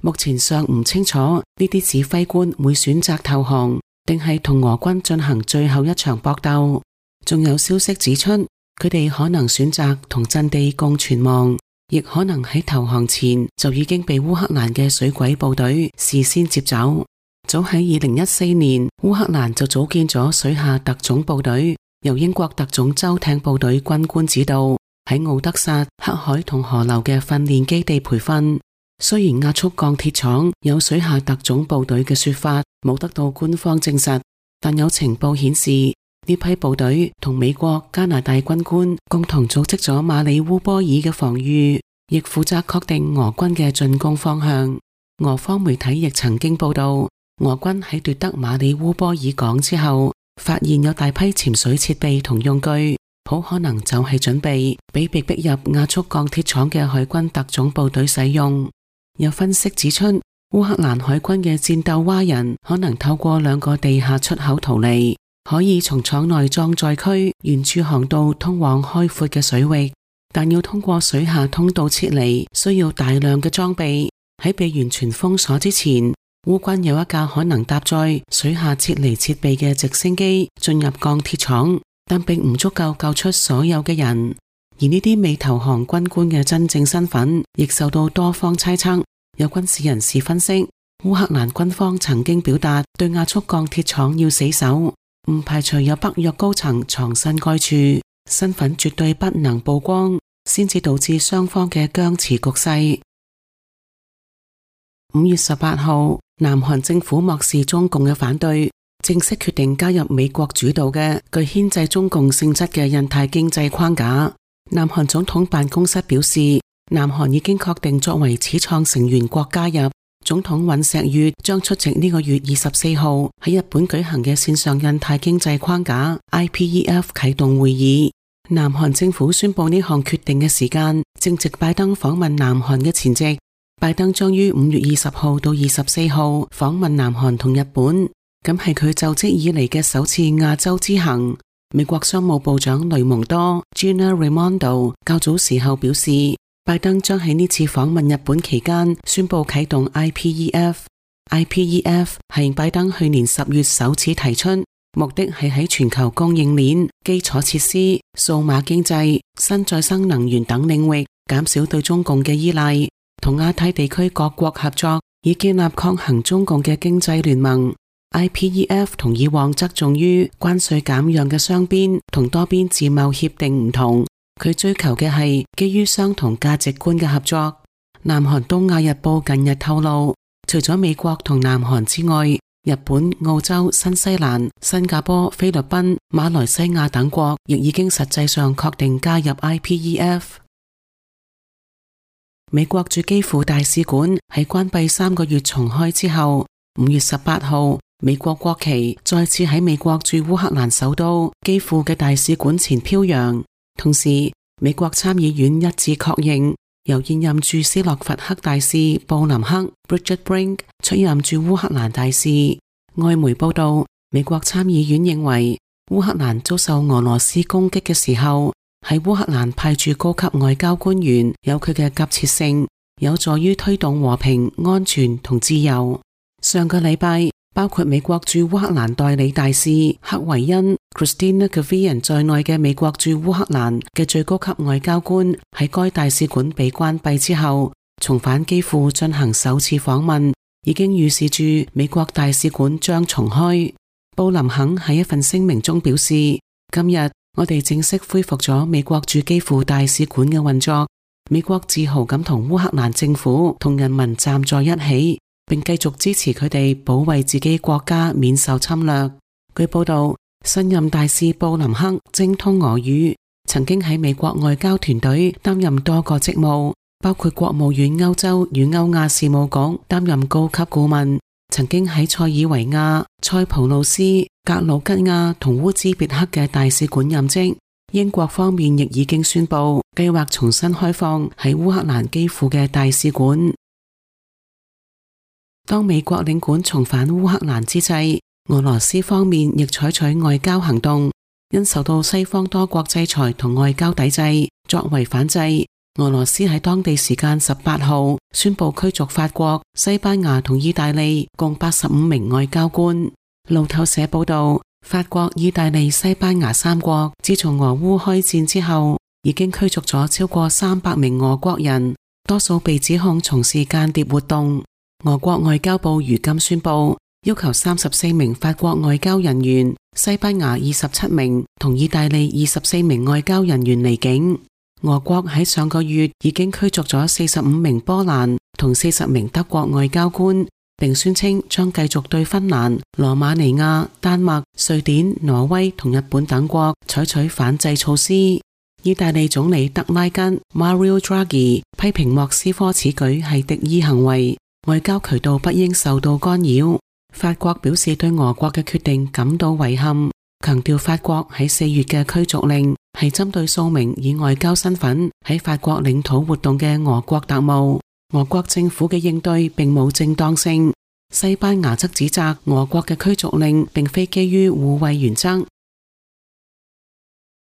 目前尚唔清楚呢啲指揮官會選擇投降，定係同俄軍進行最後一場搏鬥。仲有消息指出，佢哋可能選擇同陣地共存亡，亦可能喺投降前就已經被烏克蘭嘅水鬼部隊事先接走。早喺二零一四年，烏克蘭就組建咗水下特種部隊，由英國特種舟艇部隊軍官指導，喺奧德薩、黑海同河流嘅訓練基地培訓。雖然亞速鋼鐵廠有水下特種部隊嘅說法冇得到官方證實，但有情報顯示，呢批部隊同美國、加拿大軍官共同組織咗馬里烏波爾嘅防禦，亦負責確定俄軍嘅進攻方向。俄方媒體亦曾經報道，俄軍喺奪得馬里烏波爾港之後，發現有大批潛水設備同用具，好可能就係準備俾被逼入亞速鋼鐵廠嘅海軍特種部隊使用。有分析指出，烏克蘭海軍嘅戰鬥蛙人可能透過兩個地下出口逃離，可以從廠內裝載區沿住航道通往開闊嘅水域，但要通過水下通道撤離，需要大量嘅裝備。喺被完全封鎖之前，烏軍有一架可能搭載水下撤離設備嘅直升機進入鋼鐵廠，但並唔足夠救出所有嘅人。而呢啲未投降軍官嘅真正身份亦受到多方猜測。有軍事人士分析，烏克蘭軍方曾經表達對亞速鋼鐵廠要死守，唔排除有北約高層藏身該處，身份絕對不能曝光，先至導致雙方嘅僵持局勢。五月十八號，南韓政府漠視中共嘅反對，正式決定加入美國主導嘅具牽制中共性質嘅印太經濟框架。南韓總統辦公室表示，南韓已經確定作為始創成員國加入。總統尹錫悅將出席呢個月二十四號喺日本舉行嘅線上印太經濟框架 I P E F 啟動會議。南韓政府宣布呢項決定嘅時間正值拜登訪問南韓嘅前夕。拜登將於五月二十號到二十四號訪問南韓同日本，咁係佢就職以嚟嘅首次亞洲之行。美國商務部長雷蒙多 Gina Raimondo 較早時候表示，拜登將喺呢次訪問日本期間宣布啟動 I P E F。I P E F 係拜登去年十月首次提出，目的係喺全球供應鏈、基礎設施、數碼經濟、新再生能源等領域減少對中共嘅依賴，同亞太地區各國合作，以建立抗衡中共嘅經濟聯盟。I P E F 同以往側重於關稅減讓嘅雙邊同多邊自貿協定唔同，佢追求嘅係基於相同價值觀嘅合作。南韓東亞日報近日透露，除咗美國同南韓之外，日本、澳洲、新西蘭、新加坡、菲律賓、馬來西亞等國亦已經實際上確定加入 I P E F。美國駐基輔大使館喺關閉三個月重開之後，五月十八號，美國國旗再次喺美國駐烏克蘭首都基輔嘅大使館前飄揚。同時，美國參議院一致確認由現任駐斯洛伐克大使布林克 Bridget Brink 出任駐烏克蘭大使。外媒報道，美國參議院認為烏克蘭遭受俄羅斯攻擊嘅時候，喺烏克蘭派駐高級外交官員有佢嘅急切性，有助於推動和平、安全同自由。上個禮拜，包括美國駐烏克蘭代理大使克維恩 Christina Kavian 在內嘅美國駐烏克蘭嘅最高級外交官喺該大使館被關閉之後，重返基輔進行首次訪問，已經預示住美國大使館將重開。布林肯喺一份聲明中表示，今日我哋正式恢復咗美國駐基輔大使館嘅運作，美國自豪咁同烏克蘭政府同人民站在一起，並繼續支持佢哋保衛自己國家免受侵略。據報道，新任大使布林克精通俄語，曾經喺美國外交團隊擔任多個職務，包括國務院歐洲與歐亞事務局擔任高級顧問，曾經喺塞爾維亞、塞浦路斯、格魯吉亞同烏茲別克嘅大使館任職。英國方面亦已經宣布計劃重新開放喺烏克蘭基輔嘅大使館。當美國領館重返烏克蘭之際，俄羅斯方面亦採取外交行動，因受到西方多國制裁同外交抵制，作為反制，俄羅斯喺當地時間十八號宣布驅逐法國、西班牙同意大利共八十五名外交官。路透社報道，法國、意大利、西班牙三國自從俄烏開戰之後，已經驅逐咗超過三百名俄國人，多數被指控從事間諜活動。俄國外交部如今宣布，要求三十四名法國外交人員、西班牙二十七名同意大利二十四名外交人員離境。俄國喺上個月已經驅逐咗四十五名波蘭同四十名德國外交官，並宣稱將繼續對芬蘭、羅馬尼亞、丹麥、瑞典、挪威同日本等國採取反制措施。意大利總理德拉吉 Mario Draghi 批評莫斯科此舉係敵意行為，外交渠道不應受到干擾。法國表示對俄國嘅決定感到遺憾，強調法國喺四月嘅驅逐令係針對數名以外交身份喺法國領土活動嘅俄國特務。俄國政府嘅應對並冇正當性。西班牙則指責俄國嘅驅逐令並非基於互惠原則。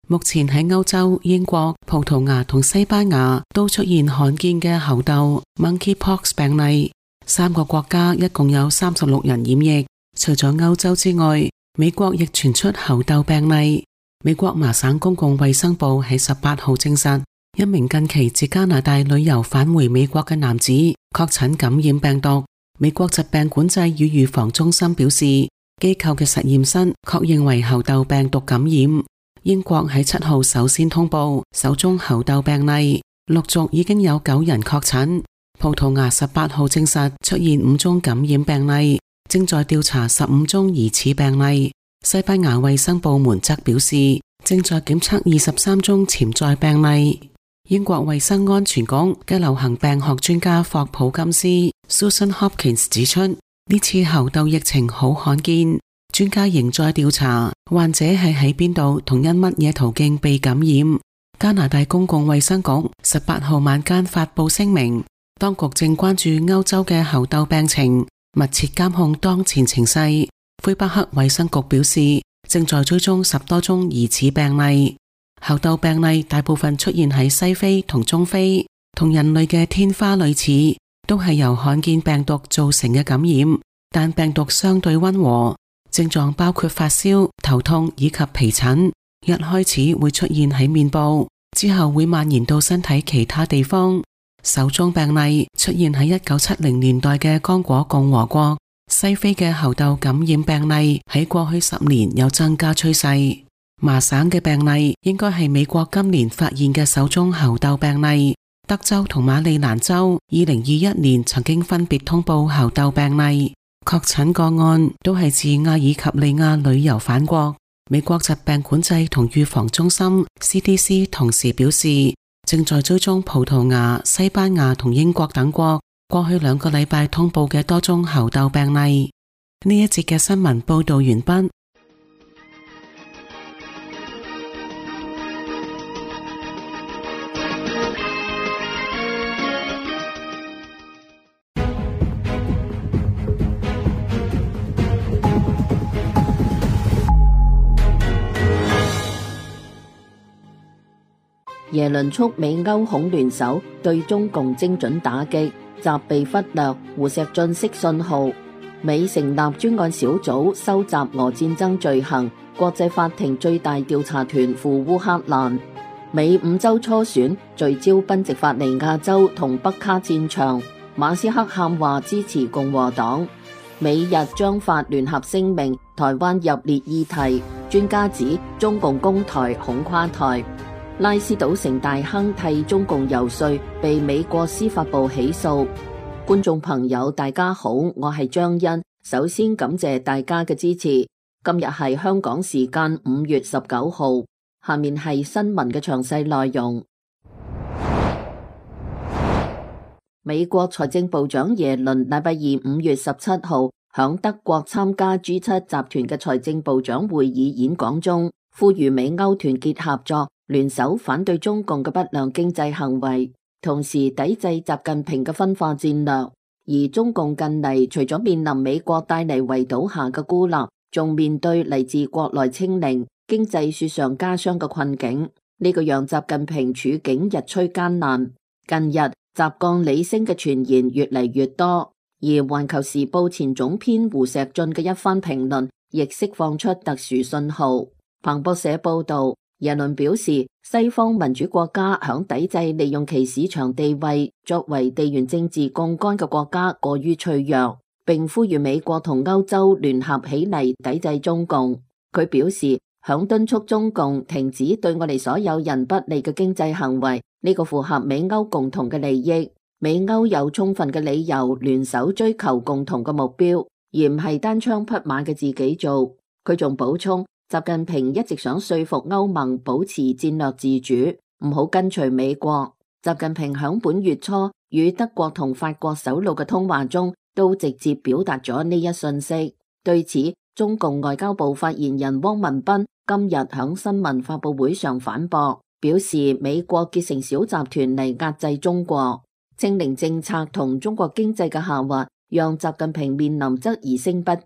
目前喺歐洲，英國、葡萄牙同西班牙都出現罕見嘅猴痘 （monkeypox） 病例。三個國家一共有三十六人染疫。除咗歐洲之外，美國亦傳出猴痘病例。美國麻省公共衛生部喺十八號證實，一名近期自加拿大旅遊返回美國嘅男子確診感染病毒。美國疾病管制與預防中心表示，機構嘅實驗室確認為猴痘病毒感染。英國喺七號首先通報首宗猴痘病例，陸續已經有九人確診。葡萄牙十八號證實出現五宗感染病例，正在調查十五宗疑似病例。西班牙衛生部門則表示，正在檢測二十三宗潛在病例。英國衛生安全局嘅流行病學專家霍普金斯 Susan Hopkins 指出，呢次猴痘疫情好罕見，專家仍在調查患者係喺邊度同因乜嘢途徑被感染。加拿大公共衛生局十八號晚間發佈聲明，當局正關注歐洲嘅猴痘病情，密切監控當前情勢。魁北克衛生局表示，正在追蹤十多宗疑似病例。猴痘病例大部分出現喺西非同中非，同人類嘅天花類似，都係由罕見病毒造成嘅感染，但病毒相對溫和，症狀包括發燒、頭痛以及皮疹。一開始會出現喺面部，之後會蔓延到身體其他地方。首宗病例出現喺一九七零年代嘅剛果共和國。西非嘅猴痘感染病例喺過去十年有增加趨勢。麻省嘅病例應該係美國今年發現嘅首宗猴痘病例。德州同馬里蘭州二零二一年曾經分別通報猴痘病例，確診個案都係自阿爾及利亞旅遊返國。美國疾病管制同預防中心 C D C 同時表示，正在追蹤葡萄牙、西班牙同英國等國過去兩個禮拜通報嘅多宗猴痘病例。呢一節嘅新聞報道完畢。耶倫促美歐恐聯手對中共精準打擊，習被忽略，胡錫進釋信號。美成立專案小組收集俄戰爭罪行，國際法庭最大調查團赴烏克蘭。美五州初選聚焦賓夕法尼亞州同北卡戰場，馬斯克喊話支持共和黨。美日將發聯合聲明，台灣入列議題。專家指中共攻台恐垮台。拉斯賭城大亨替中共游說，被美國司法部起訴。觀眾朋友大家好，我係張欣，首先感謝大家嘅支持。今日係香港時間五月十九號，下面係新聞嘅詳細內容。美國財政部長耶倫禮拜二五月十七號響德國參加 G 七集團嘅財政部長會議演講中，呼籲美歐團結合作，聯手反對中共嘅不良經濟行為，同時抵制習近平嘅分化戰略。而中共近嚟除咗面臨美國帶嚟圍堵下嘅孤立，仲面對嚟自國內清零、經濟雪上加霜嘅困境，呢個讓習近平處境日趨艱難。近日習降李升嘅傳言越嚟越多，而環球時報前總編胡錫進嘅一番評論亦釋放出特殊信號。彭博社報道，耶倫表示，西方民主國家響抵制利用其市場地位作為地緣政治槓桿嘅國家過於脆弱，並呼籲美國同歐洲聯合起嚟抵制中共。佢表示，響敦促中共停止對我哋所有人不利嘅經濟行為，呢個符合美歐共同嘅利益。美歐有充分嘅理由聯手追求共同嘅目標，而唔係單槍匹馬嘅自己做。佢仲補充，習近平一直想說服歐盟保持戰略自主，唔好跟隨美國。習近平響本月初與德國同法國首腦嘅通話中，都直接表達咗呢一信息。對此，中共外交部發言人汪文斌今日響新聞發佈會上反駁，表示美國結成小集團嚟壓制中國。清零政策同中國經濟嘅下滑，讓習近平面臨質疑聲不斷。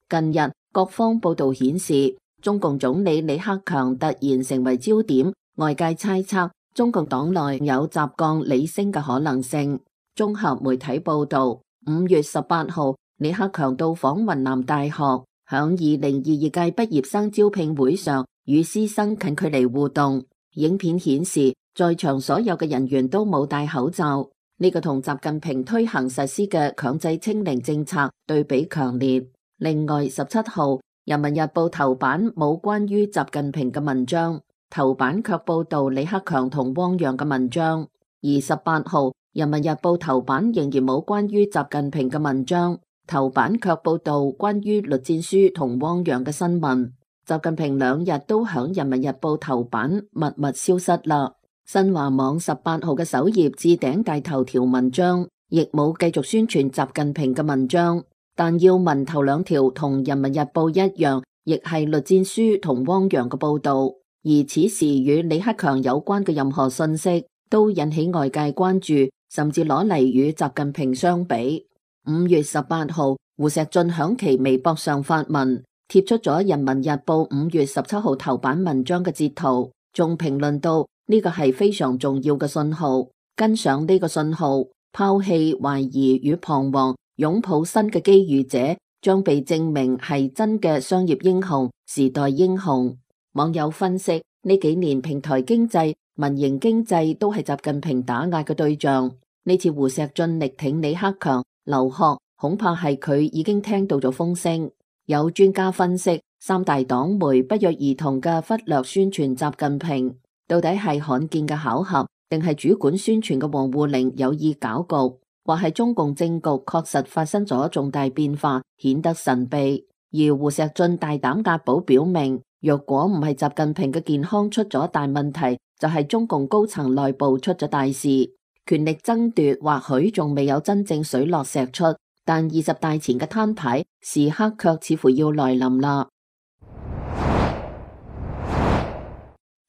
近日各方報道顯示，中共總理李克強突然成為焦點，外界猜測中共黨內有習降李升嘅可能性。綜合媒體報道，五月十八號，李克強到訪雲南大學，響二零二二屆畢業生招聘會上與師生近距離互動。影片顯示，在場所有嘅人員都冇戴口罩。呢個同習近平推行實施嘅強制清零政策對比強烈。另外，十七號人民日報頭版冇關於習近平嘅文章，頭版卻報道李克強同汪洋嘅文章。而十八號人民日報頭版仍然冇關於習近平嘅文章，頭版卻報道關於栗戰書同汪洋嘅新聞。習近平兩日都響人民日報頭版默默消失啦。新華網十八號嘅首頁置頂大頭條文章亦冇繼續宣傳習近平嘅文章，但要聞頭兩條同人民日報一樣，亦係栗戰書同汪洋嘅報道，而此時與李克強有關嘅任何信息都引起外界關注，甚至攞嚟與習近平相比。五月十八號，胡錫進響其微博上發文，貼出咗人民日報五月十七號頭版文章嘅截圖，仲評論到呢個係非常重要嘅信號，跟上呢個信號，拋棄懷疑與彷徨，擁抱新嘅機遇者將被證明係真嘅商業英雄、時代英雄。網友分析，呢幾年平台經濟、民營經濟都係習近平打壓嘅對象，呢次胡錫進力挺李克強劉鶴，恐怕係佢已經聽到咗風聲。有專家分析，三大黨媒不約而同嘅忽略宣傳習近平，到底係罕見嘅巧合，定係主管宣傳嘅王滬寧有意搞局，或係中共政局確實發生咗重大變化，顯得神秘。而胡錫進大膽押寶表明，若果唔係習近平嘅健康出咗大問題，就係中共高層內部出咗大事。權力爭奪或許仲未有真正水落石出，但二十大前嘅攤牌時刻卻似乎要來臨啦。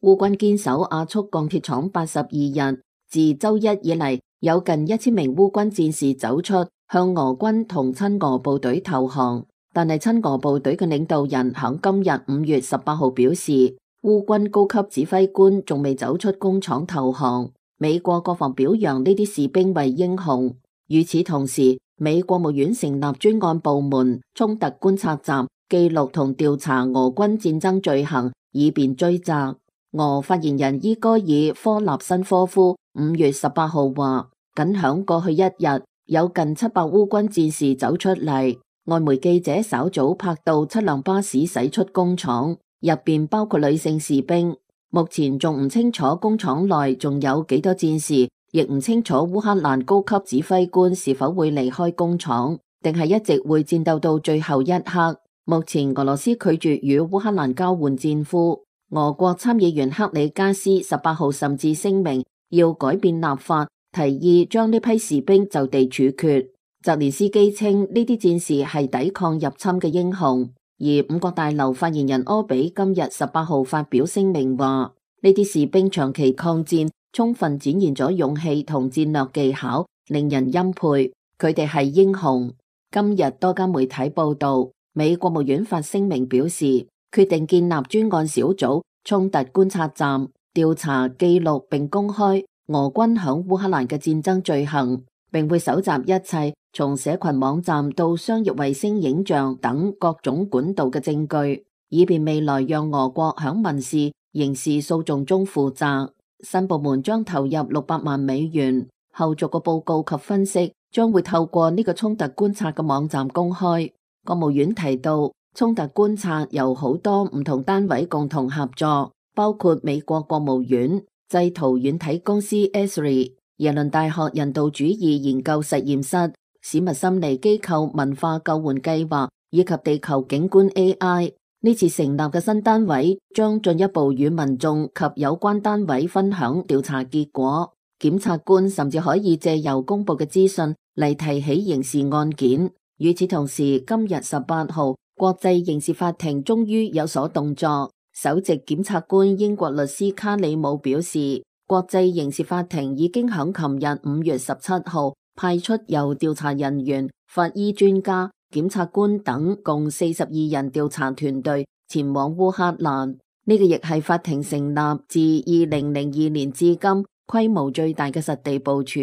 烏軍堅守亞速鋼鐵廠八十二日，自周一以嚟，有近一千名烏軍戰士走出，向俄軍同親俄部隊投降。但係親俄部隊嘅領導人響今日五月十八號表示，烏軍高級指揮官仲未走出工廠投降。美國國防表揚呢啲士兵為英雄。與此同時，美國務院成立專案部門衝突觀察站，記錄同調查俄軍戰爭罪行，以便追責。俄發言人伊戈爾科納申科夫五月十八號話，僅響過去一日，有近七百烏軍戰士走出嚟。外媒記者稍早拍到七輛巴士駛出工廠，入邊包括女性士兵。目前仲唔清楚工廠內仲有幾多戰士，亦唔清楚烏克蘭高級指揮官是否會離開工廠，定係一直會戰鬥到最後一刻。目前俄羅斯拒絕與烏克蘭交換戰俘。俄國參議員克里加斯十八號甚至聲明要改變立法，提議將呢批士兵就地處決。澤連斯基稱呢啲戰士係抵抗入侵嘅英雄。而五角大樓發言人柯比今日十八號發表聲明話，呢啲士兵長期抗戰，充分展現咗勇氣同戰略技巧，令人欽佩。佢哋係英雄。今日多家媒體報道，美國務院發聲明表示，決定建立專案小組衝突觀察站，調查記錄並公開俄軍響烏克蘭嘅戰爭罪行，並會搜集一切從社群網站到商業衛星影像等各種管道嘅證據，以便未來讓俄國響民事、刑事訴訟中負責。新部門將投入六百萬美元，後續嘅報告及分析將會透過呢個衝突觀察嘅網站公開。國務院提到，衝突觀察由好多唔同單位共同合作，包括美國國務院、製圖軟體公司 E S R I、耶倫大學人道主義研究實驗室、史密森尼機構文化救援計劃以及地球景觀 A I。呢次成立嘅新單位將進一步與民眾及有關單位分享調查結果。檢察官甚至可以借由公布嘅資訊嚟提起刑事案件。與此同時，今日十八號，國際刑事法庭終於有所動作。首席檢察官英國律師卡里姆表示，國際刑事法庭已經響琴日五月十七號派出由調查人員、法醫專家、檢察官等共四十二人調查團隊前往烏克蘭。呢個亦係法庭成立自二零零二年至今規模最大嘅實地部署。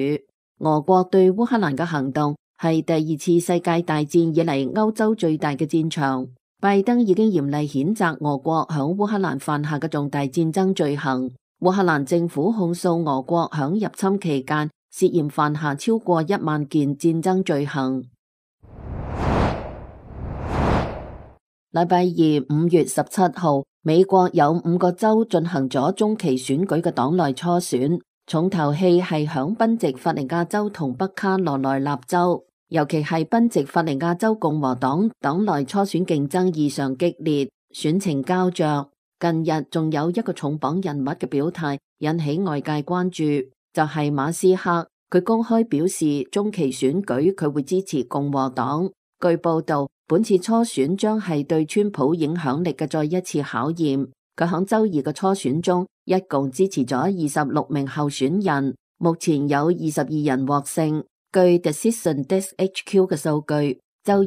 俄國對烏克蘭嘅行動係第二次世界大戰以嚟歐洲最大嘅戰場。拜登已經嚴厲譴責俄國響烏克蘭犯下嘅重大戰爭罪行。烏克蘭政府控訴俄國響入侵期間涉嫌犯下超過一萬件戰爭罪行。禮拜二五月十七號，美國有五個州進行咗中期選舉嘅黨內初選，重頭戲係響賓夕法尼亞州同北卡羅來納州，尤其係賓夕法尼亞州共和黨黨內初選競爭異常激烈，選情膠着。近日仲有一個重磅人物嘅表態引起外界關注，就係馬斯克。佢公開表示中期選舉佢會支持共和黨。據報道，本次初選將係對川普影響力嘅再一次考驗。佢響周二嘅初選中，一共支持咗二十六名候選人，目前有二十二人獲勝。據 Decision Desk H Q 嘅數據，周二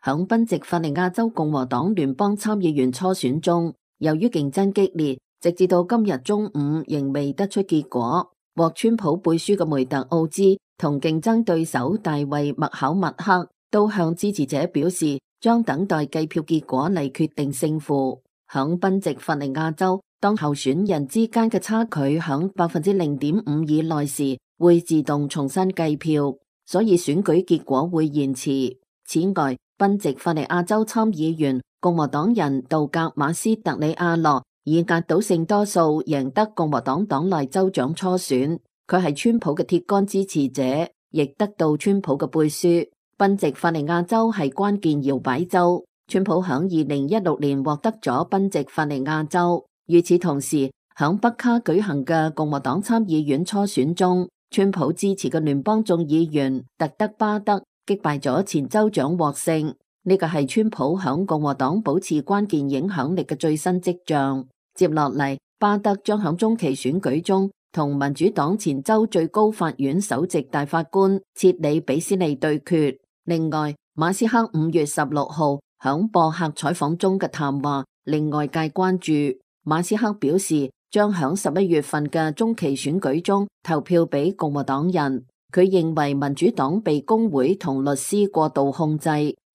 響賓夕法尼亞州共和黨聯邦參議員初選中，由於競爭激烈，直至到今日中午仍未得出結果。獲川普背書嘅梅特奧茲同競爭對手大衛麥考默克都向支持者表示，將等待計票結果嚟決定勝負。響賓夕法尼亞州，當候選人之間嘅差距響百分之零點五以內時，會自動重新計票，所以選舉結果會延遲。此外，賓夕法尼亞州參議員共和黨人杜格馬斯特里亞諾以壓倒性多數贏得共和黨黨內州長初選，佢係川普嘅鐵桿支持者，亦得到川普嘅背書。賓夕法尼亞州係關鍵搖擺州，川普響二零一六年獲得咗賓夕法尼亞州。與此同時，響北卡舉行嘅共和黨參議院初選中，川普支持嘅聯邦眾議員特德巴德擊敗咗前州長獲勝。呢個係川普響共和黨保持關鍵影響力嘅最新跡象。接落嚟，巴德將響中期選舉中同民主黨前州最高法院首席大法官切里比斯利對決。另外，馬斯克五月十六號響博客採訪中嘅談話令外界關注。馬斯克表示將響十一月份嘅中期選舉中投票俾共和黨人。佢認為民主黨被工會同律師過度控制，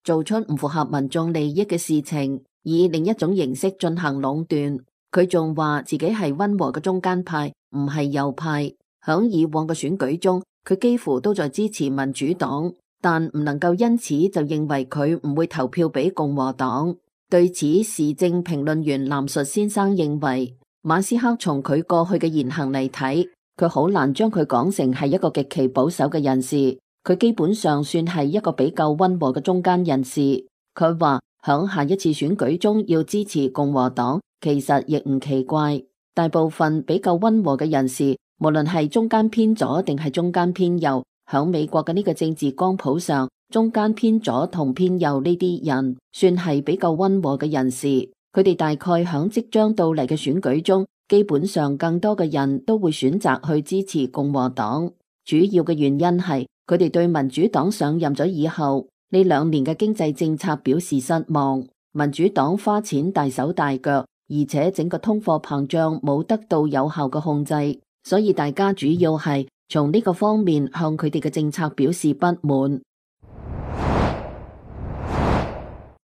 做出唔符合民眾利益嘅事情，以另一種形式進行壟斷。佢仲話自己係溫和嘅中間派，唔係右派。響以往嘅選舉中，佢幾乎都在支持民主黨，但唔能夠因此就認為佢唔會投票俾共和黨。對此，時政評論員藍述先生認為，馬斯克從佢過去嘅言行嚟睇，佢好難將佢講成係一個極其保守嘅人士。佢基本上算係一個比較溫和嘅中間人士。佢話響下一次選舉中要支持共和黨，其實亦唔奇怪。大部分比較溫和嘅人士，無論係中間偏左定係中間偏右，響美國嘅呢個政治光譜上，中間偏左同偏右呢啲人算係比較溫和嘅人士。佢哋大概響即將到嚟嘅選舉中，基本上更多嘅人都會選擇去支持共和黨。主要嘅原因係佢哋對民主黨上任咗以後呢兩年嘅經濟政策表示失望。民主黨花錢大手大腳，而且整個通貨膨脹冇得到有效嘅控制，所以大家主要係從呢個方面向佢哋嘅政策表示不滿。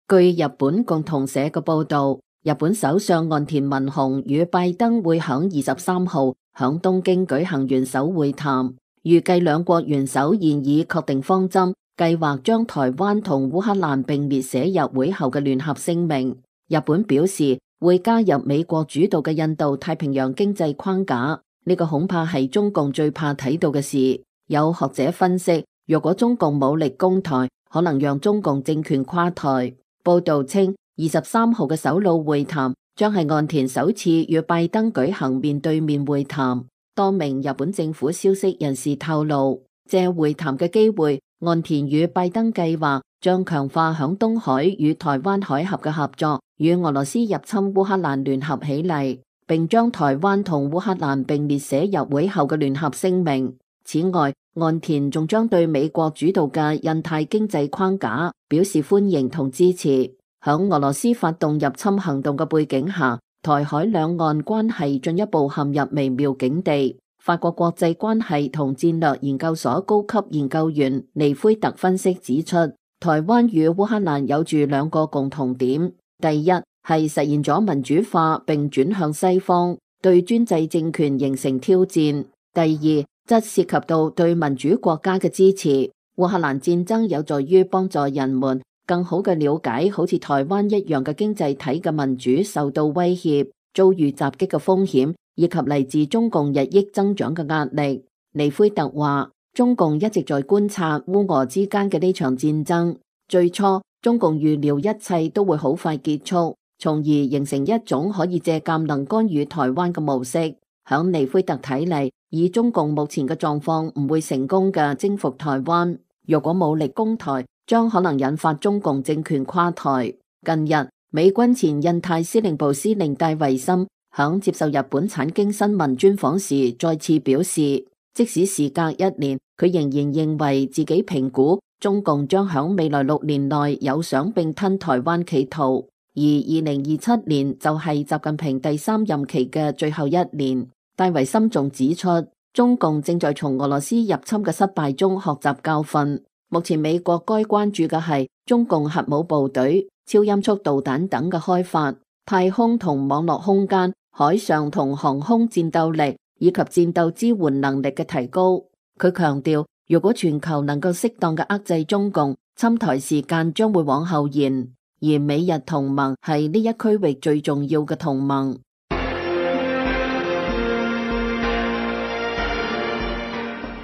據日本共同社嘅報道，日本首相岸田文雄與拜登會響二十三號響東京舉行元首會談，預計兩國元首現已確定方針，計劃將台灣同烏克蘭並列寫入會後嘅聯合聲明。日本表示會加入美國主導嘅印度太平洋經濟框架，呢個恐怕係中共最怕睇到嘅事。有學者分析，若果中共武力攻台，可能讓中共政權垮台。報道稱，二十三號嘅首腦會談將係岸田首次與拜登舉行面對面會談。多名日本政府消息人士透露，借會談嘅機會，岸田與拜登計劃將強化響東海與台灣海峽嘅合作，與俄羅斯入侵烏克蘭聯合起嚟，並將台灣同烏克蘭並列寫入會後嘅聯合聲明。此外，岸田仲將對美國主導嘅印太經濟框架表示歡迎同支持。響俄羅斯發動入侵行動嘅背景下，台海兩岸關係進一步陷入微妙境地。法國國際關係同戰略研究所高級研究員尼菲特分析指出，台灣與烏克蘭有住兩個共同點：第一係實現咗民主化並轉向西方，對專制政權形成挑戰；第二則涉及到對民主國家嘅支持。烏克蘭戰爭有助於幫助人們更好嘅了解好似台灣一樣嘅經濟體嘅民主受到威脅、遭遇襲擊嘅風險，以及嚟自中共日益增長嘅壓力。尼菲特話，中共一直在觀察烏俄之間嘅呢場戰爭。最初，中共預料一切都會好快結束，從而形成一種可以借鑑能干預台灣嘅模式。響尼菲特睇嚟，以中共目前嘅狀況唔會成功嘅征服台灣。若果武力攻台，將可能引發中共政權垮台。近日，美軍前印太司令部司令戴維森響接受日本產經新聞專訪時再次表示，即使時隔一年，佢仍然認為自己評估中共將響未來六年內有想併吞台灣企圖，而二零二七年就係習近平第三任期嘅最後一年。戴維森仲指出，中共正在從俄羅斯入侵嘅失敗中學習教訓。目前美國該關注嘅係中共核武部隊、超音速導彈等嘅開發、太空同網絡空間、海上同航空戰鬥力以及戰鬥支援能力嘅提高。佢強調，如果全球能夠適當嘅遏制中共，侵台時間將會往後延，而美日同盟係呢一區域最重要嘅同盟。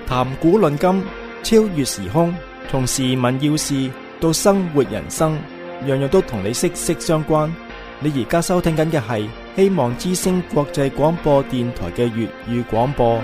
談古論今，超越時空，從時聞要事到生活人生，樣樣都同你息息相關。你而家收聽緊嘅係希望之聲國際廣播電台嘅粵語廣播。